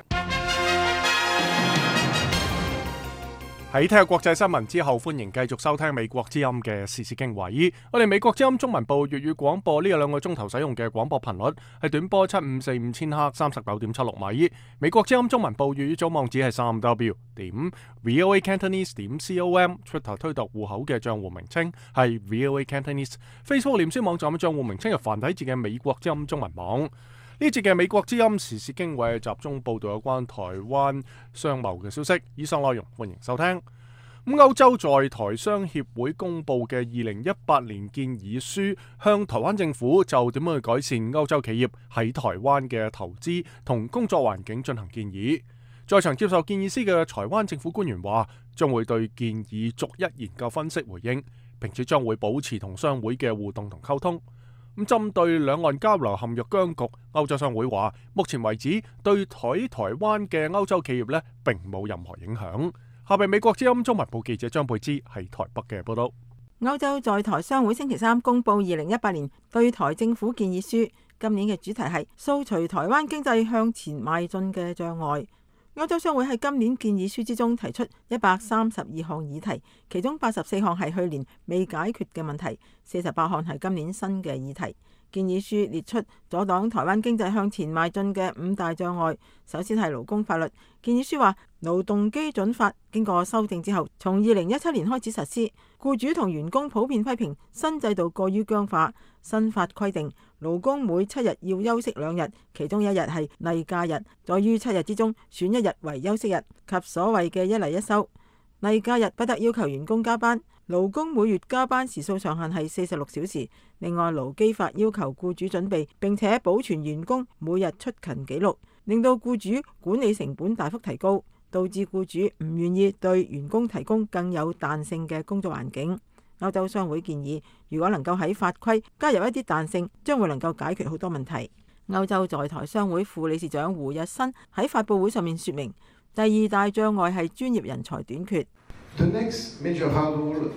喺聽下國際新聞之後，歡迎繼續收聽美國之音嘅時事經緯。我哋美國之音中文部粵語廣播呢兩個鐘頭使用嘅廣播頻率係短波七五四五千赫三十九點七六米。美國之音中文部粵語組網址係三 w 點 voa cantonese 點 com。Twitter 推特戶口嘅賬戶名稱係 voa cantonese。Facebook 臉書網站嘅賬戶名稱係繁體字嘅美國之音中文網。呢節嘅美國之音時事經緯集中報道有關台灣商貿嘅消息，以上內容歡迎收聽。咁歐洲在台商協會公布嘅二零一八年建議書，向台灣政府就點樣去改善歐洲企業喺台灣嘅投資同工作環境進行建議。在場接受建議書嘅台灣政府官員話，將會對建議逐一研究分析回應，並且將會保持同商會嘅互動同溝通。咁針對兩岸交流陷入僵局，歐洲商會話，目前為止對台台灣嘅歐洲企業呢並冇任何影響。下邊美國之音中文部記者張貝芝喺台北嘅報道。歐洲在台商會星期三公布二零一八年對台政府建議書，今年嘅主題係掃除台灣經濟向前邁進嘅障礙。歐洲商會喺今年建議書之中提出一百三十二項議題，其中八十四項係去年未解決嘅問題，四十八項係今年新嘅議題。建議書列出阻擋台灣經濟向前邁進嘅五大障礙。首先係勞工法律。建議書話，勞動基準法經過修正之後，從二零一七年開始實施。僱主同員工普遍批評新制度過於僵化。新法規定，勞工每七日要休息兩日，其中一日係例假日，在於七日之中選一日為休息日，及所謂嘅一例一休。例假日不得要求員工加班。勞工每月加班時數上限係四十六小時。另外，勞基法要求僱主準備並且保存員工每日出勤記錄，令到僱主管理成本大幅提高，導致僱主唔願意對員工提供更有彈性嘅工作環境。歐洲商會建議，如果能夠喺法規加入一啲彈性，將會能夠解決好多問題。歐洲在台商會副理事長胡日新喺發佈會上面說明，第二大障礙係專業人才短缺。The next major hurdle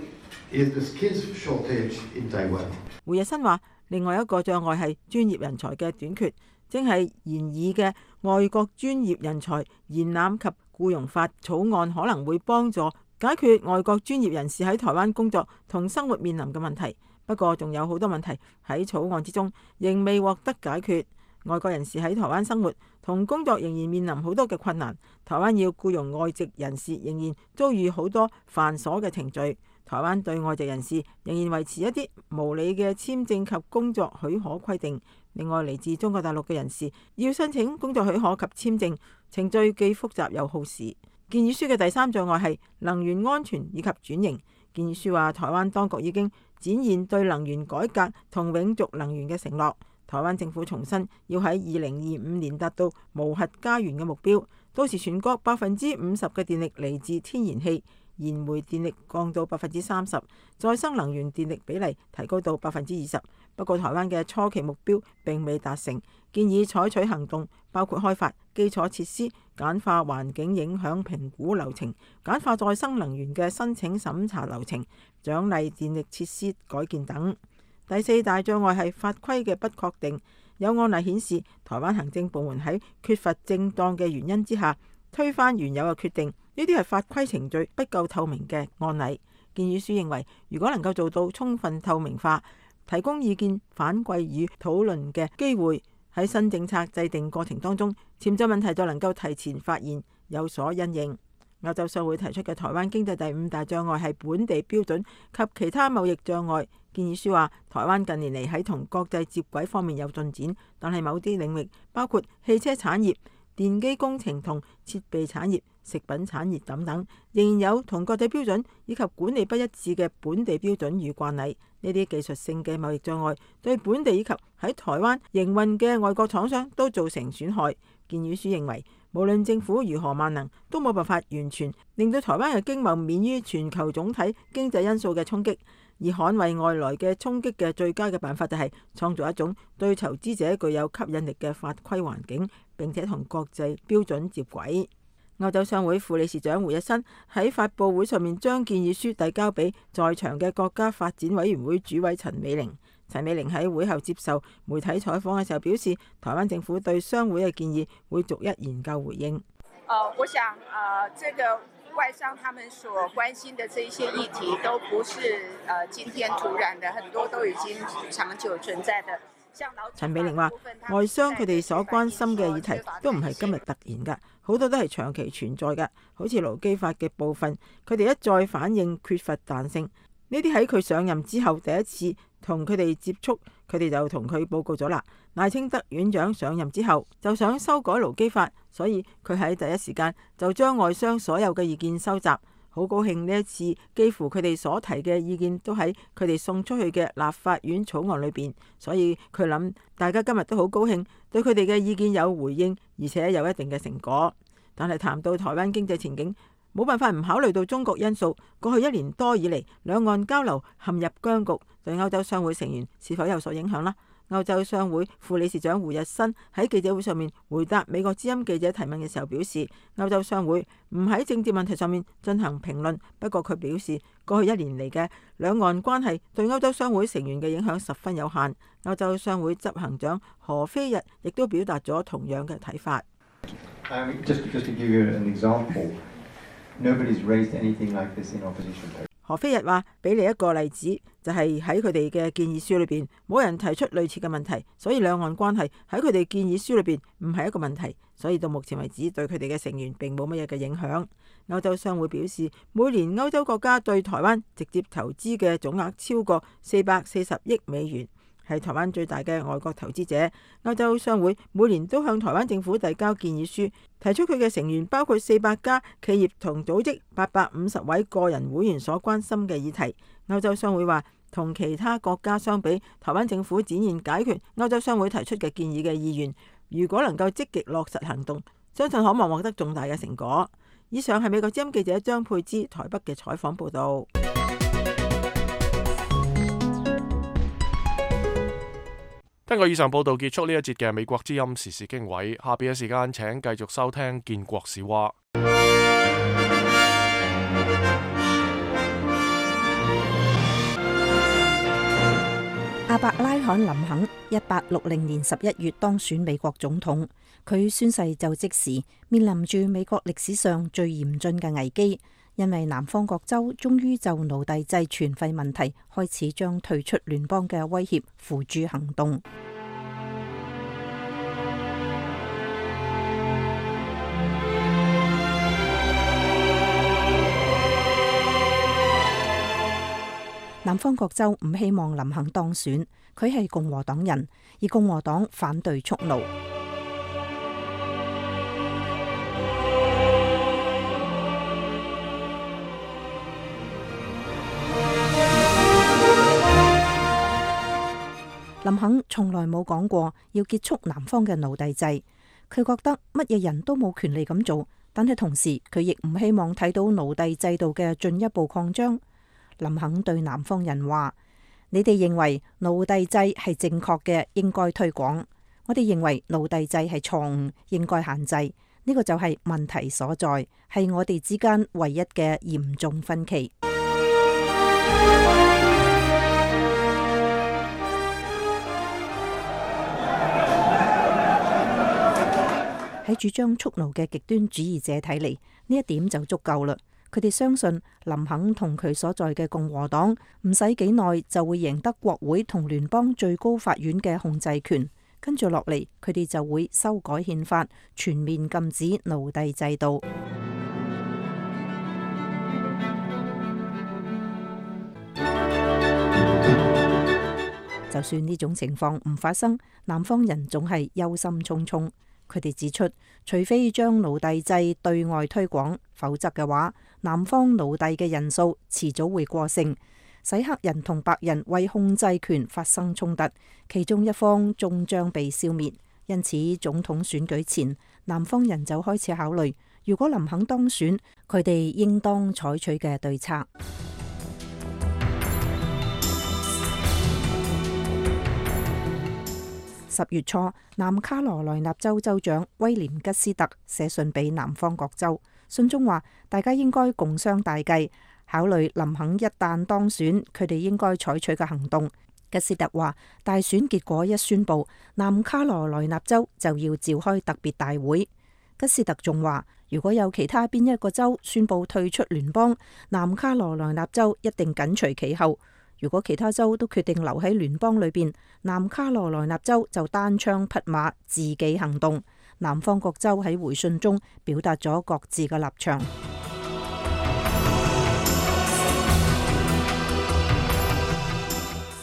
is the skills shortage in Taiwan. 胡日新話，另外一個障礙係專業人才嘅短缺，正係研議嘅外國專業人才延攬及僱傭法草案可能會幫助解決外國專業人士喺台灣工作同生活面臨嘅問題。不過仲有好多問題喺草案之中仍未獲得解決。外國人士喺台灣生活同工作仍然面臨好多嘅困難。台灣要僱傭外籍人士仍然遭遇好多繁瑣嘅程序。台灣對外籍人士仍然維持一啲無理嘅簽證及工作許可規定。另外，嚟自中國大陸嘅人士要申請工作許可及簽證，程序既複雜又耗時。建議書嘅第三障礙係能源安全以及轉型。建議書話，台灣當局已經展現對能源改革同永續能源嘅承諾。台灣政府重申要喺二零二五年達到無核家園嘅目標，到時全國百分之五十嘅電力嚟自天然氣，燃煤電力降到百分之三十，再生能源電力比例提高到百分之二十。不過台灣嘅初期目標並未達成，建議採取行動，包括開發基礎設施、簡化環境影響評估流程、簡化再生能源嘅申請審查流程、獎勵電力設施改建等。第四大障礙係法規嘅不確定。有案例顯示，台灣行政部門喺缺乏正當嘅原因之下，推翻原有嘅決定，呢啲係法規程序不夠透明嘅案例。建議書認為，如果能夠做到充分透明化，提供意見反饋與討論嘅機會，喺新政策制定過程當中，潛在問題就能夠提前發現，有所因應。歐洲商會提出嘅台灣經濟第五大障礙係本地標準及其他貿易障礙。建議書話，台灣近年嚟喺同國際接軌方面有進展，但係某啲領域，包括汽車產業、電機工程同設備產業、食品產業等等，仍然有同國際標準以及管理不一致嘅本地標準與慣例。呢啲技術性嘅貿易障礙對本地以及喺台灣營運嘅外國廠商都造成損害。建議書認為，無論政府如何萬能，都冇辦法完全令到台灣嘅經貿免於全球總體經濟因素嘅衝擊。而捍衛外來嘅衝擊嘅最佳嘅辦法就係創造一種對投資者具有吸引力嘅法規環境，並且同國際標準接軌。歐洲商會副理事長胡日新喺發佈會上面將建議書遞交俾在場嘅國家發展委員會主委陳美玲。陳美玲喺會後接受媒體採訪嘅時候表示，台灣政府對商會嘅建議會逐一研究回應。呃，我想，呃，這個外商他們所關心的這些議題，都不是呃今天突然的，很多都已經長久存在的。陳美玲話，外商佢哋所關心嘅議題都唔係今日突然㗎，好多都係長期存在㗎。好似勞基法嘅部分，佢哋一再反映缺乏彈性。呢啲喺佢上任之後第一次同佢哋接觸，佢哋就同佢報告咗啦。賴清德院長上任之後就想修改勞基法，所以佢喺第一時間就將外商所有嘅意見收集。好高興呢一次，幾乎佢哋所提嘅意見都喺佢哋送出去嘅立法院草案裏邊，所以佢諗大家今日都好高興，對佢哋嘅意見有回應，而且有一定嘅成果。但係談到台灣經濟前景，冇辦法唔考慮到中國因素。過去一年多以嚟，兩岸交流陷入僵局，對歐洲商會成員是否有所影響呢？歐洲商會副理事長胡日新喺記者會上面回答美國之音記者提問嘅時候表示，歐洲商會唔喺政治問題上面進行評論。不過佢表示，過去一年嚟嘅兩岸關係對歐洲商會成員嘅影響十分有限。歐洲商會執行長何非日亦都表達咗同樣嘅睇法。Um, just, just to give you an example, nobody's raised anything like this in opposition. 何非日話：俾你一個例子，就係喺佢哋嘅建議書裏邊，冇人提出類似嘅問題，所以兩岸關係喺佢哋建議書裏邊唔係一個問題，所以到目前為止對佢哋嘅成員並冇乜嘢嘅影響。歐洲商會表示，每年歐洲國家對台灣直接投資嘅總額超過四百四十億美元。係台灣最大嘅外國投資者。歐洲商會每年都向台灣政府遞交建議書，提出佢嘅成員包括四百家企業同組織、八百五十位個人會員所關心嘅議題。歐洲商會話，同其他國家相比，台灣政府展現解決歐洲商會提出嘅建議嘅意願。如果能夠積極落實行動，相信可望獲得重大嘅成果。以上係美國之音記者張佩芝台北嘅採訪報導。聽過以上報道，結束呢一節嘅美國之音時事經緯。下邊嘅時間請繼續收聽建國史話。亞伯拉罕林肯一八六零年十一月當選美國總統，佢宣誓就職時面臨住美國歷史上最嚴峻嘅危機，因為南方各州終於就奴隸制全廢問題開始將退出聯邦嘅威脅付諸行動。南方各州唔希望林肯當選，佢係共和黨人，而共和黨反對蓄奴。林肯從來冇講過要結束南方嘅奴隸制，佢覺得乜嘢人都冇權利咁做，但係同時佢亦唔希望睇到奴隸制度嘅進一步擴張。林肯對南方人話：你哋認為奴隸制係正確嘅，應該推廣；我哋認為奴隸制係錯誤，應該限制。呢個就係問題所在，係我哋之間唯一嘅嚴重分歧。喺主張蓄奴嘅極端主義者睇嚟，呢一點就足夠啦。佢哋相信林肯同佢所在嘅共和黨唔使幾耐就會贏得國會同聯邦最高法院嘅控制權，跟住落嚟佢哋就會修改憲法，全面禁止奴隸制度。就算呢種情況唔發生，南方人總係憂心忡忡。佢哋指出，除非將奴隸制對外推廣，否則嘅話，南方奴隸嘅人數遲早會過剩，使黑人同白人為控制權發生衝突，其中一方終將被消滅。因此，總統選舉前，南方人就開始考慮，如果林肯當選，佢哋應當採取嘅對策。十月初，南卡羅來納州州長威廉吉斯特寫信俾南方各州，信中話大家應該共商大計，考慮林肯一旦當選，佢哋應該採取嘅行動。吉斯特話，大選結果一宣布，南卡羅來納州就要召開特別大會。吉斯特仲話，如果有其他邊一個州宣布退出聯邦，南卡羅來納州一定緊隨其後。如果其他州都決定留喺聯邦裏邊，南卡羅來納州就單槍匹馬自己行動。南方各州喺回信中表達咗各自嘅立場。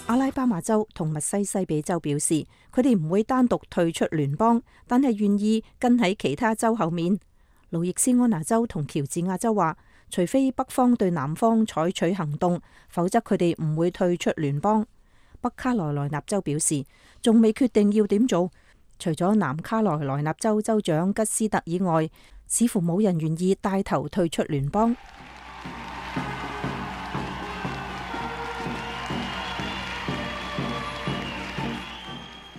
阿拉巴馬州同密西西比州表示，佢哋唔會單獨退出聯邦，但係願意跟喺其他州後面。路易斯安那州同喬治亞州話，除非北方對南方採取行動，否則佢哋唔會退出聯邦。北卡羅來納州表示，仲未決定要點做。除咗南卡羅來納州州長吉斯特以外，似乎冇人願意帶頭退出聯邦。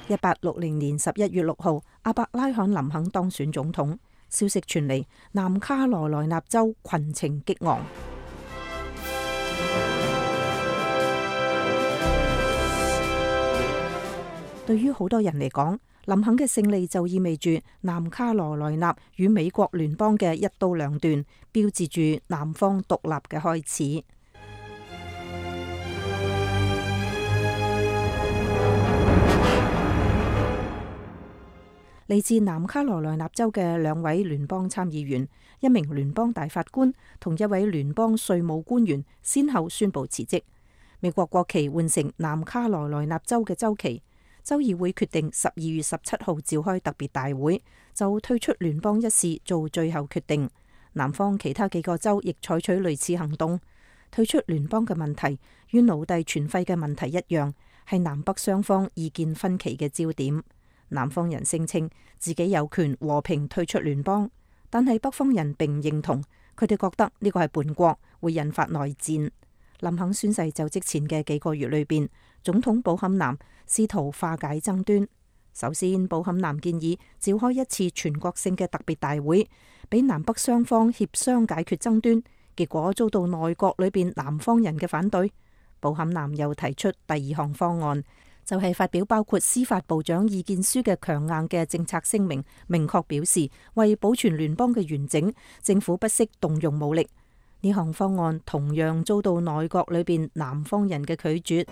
一八六零年十一月六號，阿伯拉罕林肯當選總統。消息傳嚟，南卡羅來納州群情激昂。對於好多人嚟講，林肯嘅勝利就意味住南卡羅來納與美國聯邦嘅一刀兩斷，標誌住南方獨立嘅開始。嚟自南卡羅來納州嘅兩位聯邦參議員、一名聯邦大法官同一位聯邦稅務官員，先後宣布辭職。美國國旗換成南卡羅來納州嘅州旗。州議會決定十二月十七號召開特別大會，就退出聯邦一事做最後決定。南方其他幾個州亦採取類似行動。退出聯邦嘅問題與奴隸存廢嘅問題一樣，係南北雙方意見分歧嘅焦點。南方人聲稱自己有權和平退出聯邦，但係北方人並唔認同，佢哋覺得呢個係叛國，會引發內戰。林肯宣誓就職前嘅幾個月裏邊，總統布坎南試圖化解爭端。首先，布坎南建議召開一次全國性嘅特別大會，俾南北雙方協商解決爭端，結果遭到內閣裏邊南方人嘅反對。布坎南又提出第二項方案，就係發表包括司法部長意見書嘅強硬嘅政策聲明，明確表示為保存聯邦嘅完整，政府不惜動用武力。呢項方案同樣遭到內閣裏邊南方人嘅拒絕。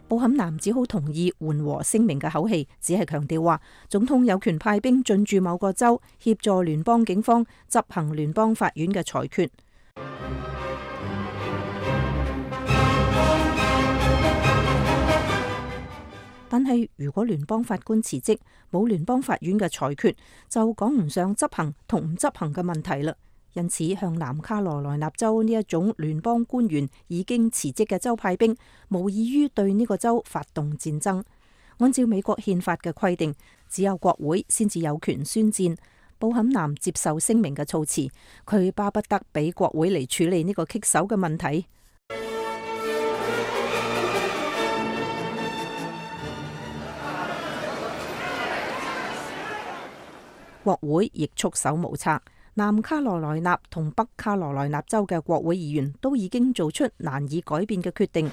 布坎南只好同意緩和聲明嘅口氣，只係強調話總統有權派兵進駐某個州，協助聯邦警方執行聯邦法院嘅裁決。但係如果聯邦法官辭職，冇聯邦法院嘅裁決，就講唔上執行同唔執行嘅問題啦。因此，向南卡羅來納州呢一種聯邦官員已經辭職嘅州派兵，無異於對呢個州發動戰爭。按照美國憲法嘅規定，只有國會先至有權宣戰。布坎南接受聲明嘅措辭，佢巴不得俾國會嚟處理呢個棘手嘅問題。國會亦束手無策。南卡羅來納同北卡羅來納州嘅國會議員都已經做出難以改變嘅決定。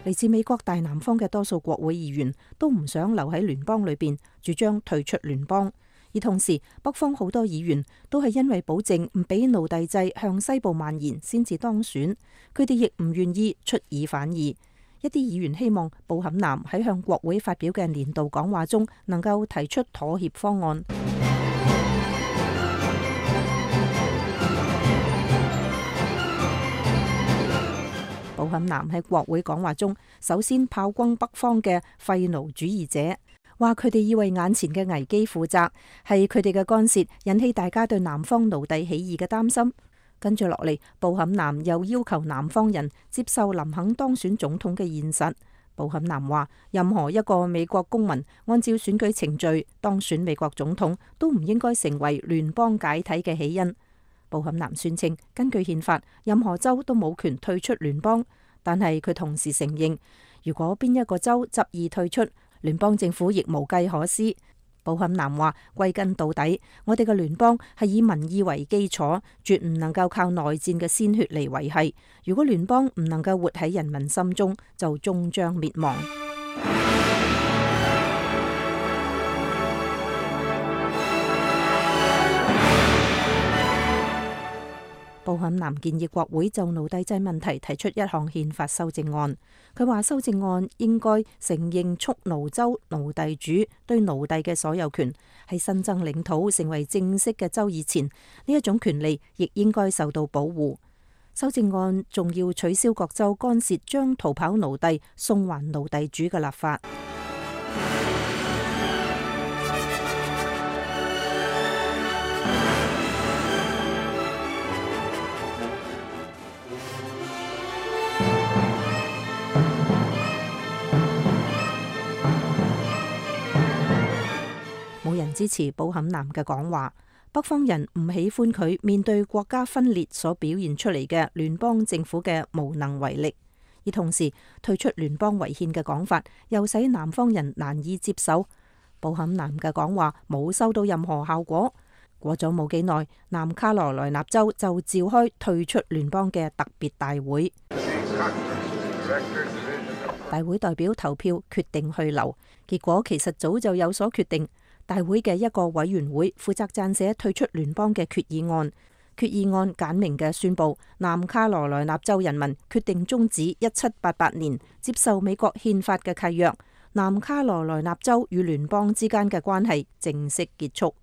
嚟自美國大南方嘅多數國會議員都唔想留喺聯邦裏邊，主張退出聯邦。而同時，北方好多議員都係因為保證唔俾奴隸制向西部蔓延先至當選，佢哋亦唔願意出爾反爾。一啲議員希望布坎南喺向國會發表嘅年度講話中能夠提出妥協方案。布坎南喺國會講話中，首先炮轟北方嘅廢奴主義者，話佢哋要為眼前嘅危機負責，係佢哋嘅干涉引起大家對南方奴隸起義嘅擔心。跟住落嚟，布坎南又要求南方人接受林肯當選總統嘅現實。布坎南話，任何一個美國公民按照選舉程序當選美國總統，都唔應該成為聯邦解體嘅起因。布坎南宣稱，根據憲法，任何州都冇權退出聯邦，但係佢同時承認，如果邊一個州執意退出，聯邦政府亦無計可施。布坎南話，歸根到底，我哋嘅聯邦係以民意為基礎，絕唔能夠靠內戰嘅鮮血嚟維繫。如果聯邦唔能夠活喺人民心中，就終將滅亡。布坎南建議國會就奴隸制問題提出一項憲法修正案。佢話修正案應該承認蓄奴州奴隸主對奴隸嘅所有權，喺新增領土成為正式嘅州以前，呢一種權利亦應該受到保護。修正案仲要取消各州干涉將逃跑奴隸送還奴隸主嘅立法。冇人支持布坎南嘅講話，北方人唔喜歡佢面對國家分裂所表現出嚟嘅聯邦政府嘅無能為力，而同時退出聯邦違憲嘅講法又使南方人難以接受。布坎南嘅講話冇收到任何效果。過咗冇幾耐，南卡羅來納州就召開退出聯邦嘅特別大會。大會代表投票決定去留，結果其實早就有所決定。大會嘅一個委員會負責撰寫退出聯邦嘅決議案。決議案簡明嘅宣布，南卡羅來納州人民決定終止一七八八年接受美國憲法嘅契約，南卡羅來納州與聯邦之間嘅關係正式結束。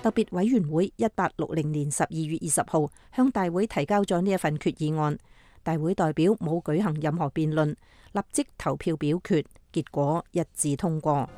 特別委員會一八六零年十二月二十號向大會提交咗呢一份決議案，大會代表冇舉行任何辯論，立即投票表決，結果一致通過。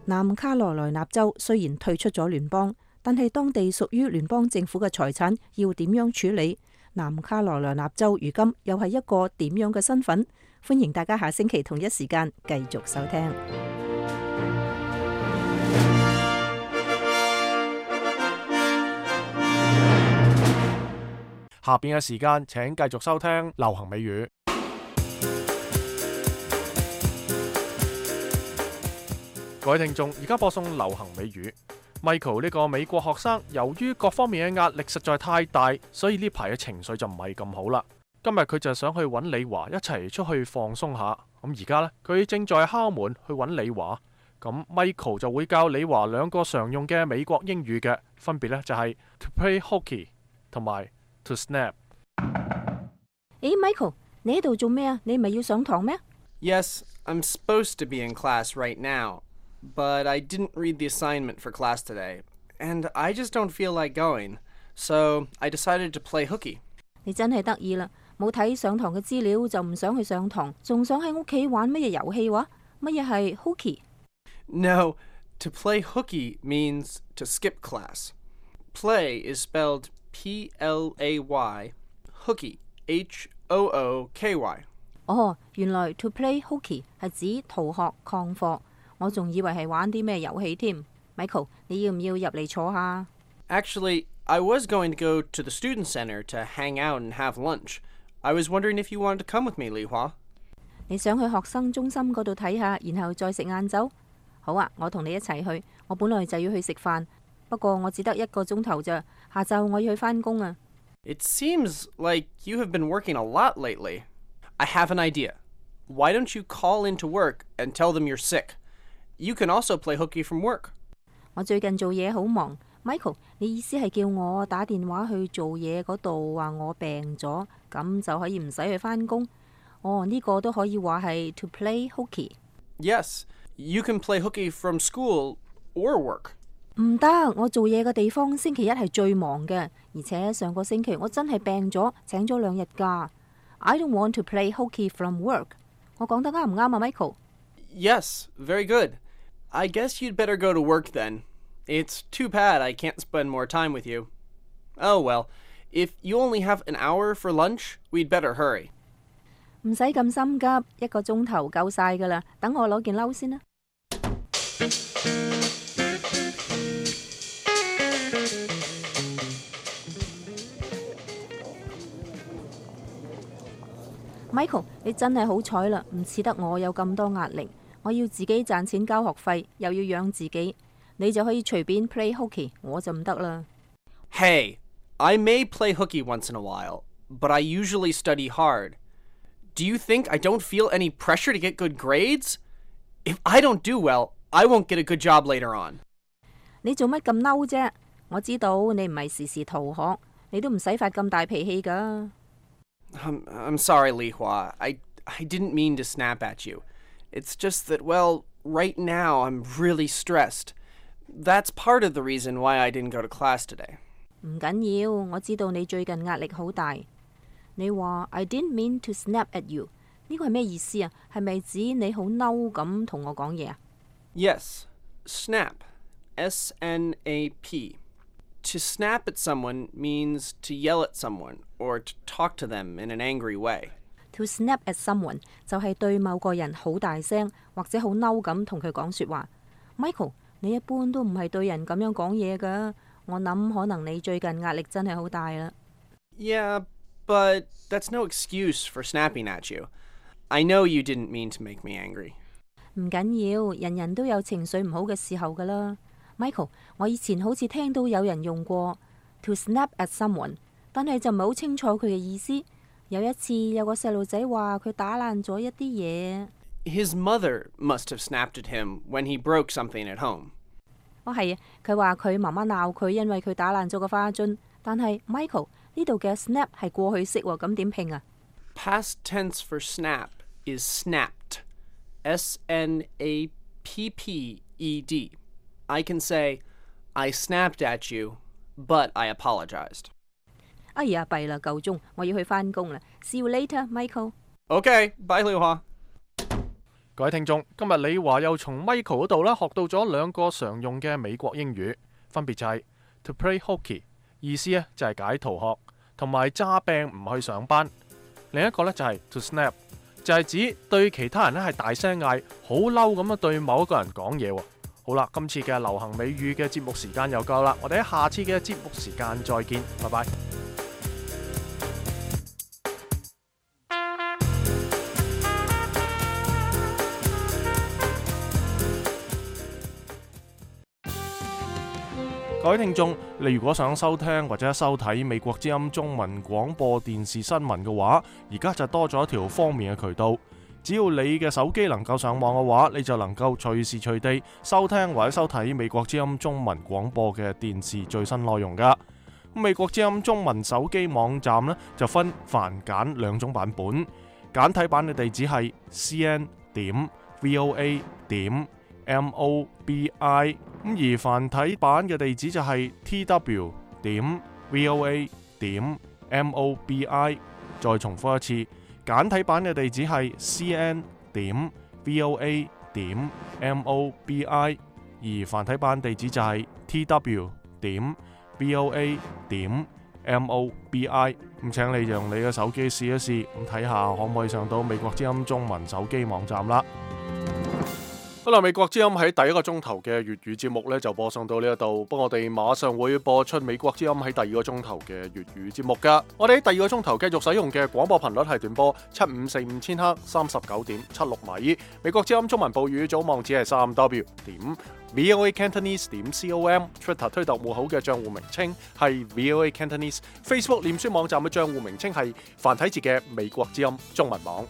南卡羅來納州雖然退出咗聯邦，但係當地屬於聯邦政府嘅財產要點樣處理？南卡羅來納州如今又係一個點樣嘅身份？歡迎大家下星期同一時間繼續收聽。下邊嘅時間請繼續收聽流行美語。各位聽眾，而家播送流行美語。Michael 呢個美國學生，由於各方面嘅壓力實在太大，所以呢排嘅情緒就唔係咁好啦。今日佢就想去揾李華一齊出去放鬆下。咁而家呢，佢正在敲門去揾李華。咁 Michael 就會教李華兩個常用嘅美國英語嘅，分別呢就係 to play hooky 同埋 to snap。誒 ，Michael， 你喺度做咩啊？你唔係要上堂咩？ Yes, I'm supposed to be in class right now.But I didn't read the assignment for class today, and I just don't feel like going, so I decided to play hooky. 你真係得意啦，冇睇上堂嘅資料就唔想去上堂，仲想喺屋企玩乜嘢遊戲話？乜嘢係 hooky？ No, to play hooky means to skip class. Play is spelled P L A Y, hooky, H O O K Y。哦，原來 to play hooky 係指逃學曠課，我仲以為係玩啲咩遊戲添。Michael，你要唔要入嚟坐下？ Actually, I was going to go to the student center to hang out and have lunch. I was wondering if you wanted to come with me, Li Hua. 你想去學生中心嗰度睇下，然後再食晏晝？好啊，我同你一齊去。我本來就要去食飯，不過我只得一個鐘頭咋，下晝我要去返工啊。It seems like you have been working a lot lately. I have an idea. Why don't you call into work and tell them you're sick? You can also play hooky from work. 我最近做嘢好忙。Michael， 你意思係叫我打電話去做嘢嗰度話我病咗，咁就可以唔使去返工？哦，呢個都可以話係 to play hooky。 Yes, you can play hooky from school or work. 唔得，我做嘢嘅地方星期一係最忙嘅，而且上個星期我真係病咗，請咗兩日假。I don't want to play hooky from work。 我講得啱唔啱啊 Michael？ Yes, very good. I guess you'd better go to work then. It's too bad I can't spend more time with you. Oh well, if you only have an hour for lunch, we'd better hurry. 唔使咁心急，一個鐘頭夠晒噶啦。等我攞件褸先啦。Michael， 你真係好彩啦，唔似得我有咁多壓力。我要自己賺錢交學費，又要養自己，你就可以隨便 play hooky， 我就唔得啦。Hey, I may play hooky once in a while, but I usually study hard. Do you think I don't feel any pressure to get good grades? If I don't do well, I won't get a good job later on. 你做乜咁嬲啫？我知道你唔係時時逃學，你都唔使發咁大脾氣㗎。I'm, I'm sorry, Li Hua. I, I didn't mean to snap at you. It's just that, well, right now I'm really stressed. That's part of the reason why I didn't go to class today. 唔緊要，我知道你最近壓力好大。你話 I didn't mean to snap at you， 呢個係咩意思啊？係咪指你好嬲咁同我講嘢啊？ Yes, snap, S N A P. To snap at someone means to yell at someone or to talk to them in an angry way. To snap at someone 就係對某個人好大聲或者好嬲咁同佢講說話。Michael， 你一般都唔係對人咁樣講嘢㗎。我諗可能你最近壓力真係好大啦。Yeah, but that's no excuse for snapping at you. I know you didn't mean to make me angry. 唔緊要，人人都有情緒唔好嘅時候㗎啦。Michael， 我以前好似聽到有人用過 to snap at someone， 但係就唔係好清楚佢嘅意思。有一次有個細路仔話佢打爛咗一啲嘢。His mother must have snapped at him when he broke something at home. 哦係啊，佢話佢媽媽鬧佢，因為佢打爛咗個花樽。但係 Michael 呢度嘅 snap 係過去式喎，咁點拼啊？ Past tense for snap is snapped. S N A P P E D. I can say, I snapped at you, but I apologized. 哎呀，弊啦，夠鐘，我要去返工啦。See you later, Michael. Okay, bye, Li Hua. 各位聽眾，今日李華又從 Michael 嗰度啦學到咗兩個常用嘅美國英語，分別就係 to play hooky， 意思咧就係解逃學，同埋詐病唔去上班。另一個咧就係 to snap， 就係指對其他人咧係大聲嗌，好嬲咁樣對某一個人講嘢喎。好啦，今次嘅流行美語嘅節目時間又夠啦，我哋喺下次嘅節目時間再見，拜拜。各位聽眾，你如果想收聽或者收睇美國之音中文廣播電視新聞嘅話，而家就多咗一條方便嘅渠道。只要你嘅手機能夠上網嘅話，你就能夠隨時隨地收聽或者收睇美國之音中文廣播嘅電視最新內容噶。美國之音中文手機網站呢，就分繁簡兩種版本，簡體版嘅地址係 c n 點 v o a 點 m o b i， 咁而繁體版嘅地址就係 t w 點 v o a 點 m o b i。再重複一次，簡體版嘅地址係 c n 點 v o a 點 m o b i， 而繁體版地址就係 t w 點 v o a 點 M O B I。咁請你用你嘅手機試一試，咁睇下可唔可以上到美國之音中文手機網站啦。好啦，美國之音喺第一個鐘頭嘅粵語節目呢就播送到呢一度，不過我哋馬上會播出美國之音喺第二個鐘頭嘅粵語節目噶。我哋喺第二個鐘頭繼續使用嘅廣播頻率係短波七五四五千赫三十九點七六米。美國之音中文報語組網址係三 W 點 V O A Cantonese 點 com。Twitter 推特戶口嘅賬戶名稱係 V O A Cantonese。Facebook 臉書網站嘅賬戶名稱係繁體字嘅美國之音中文網。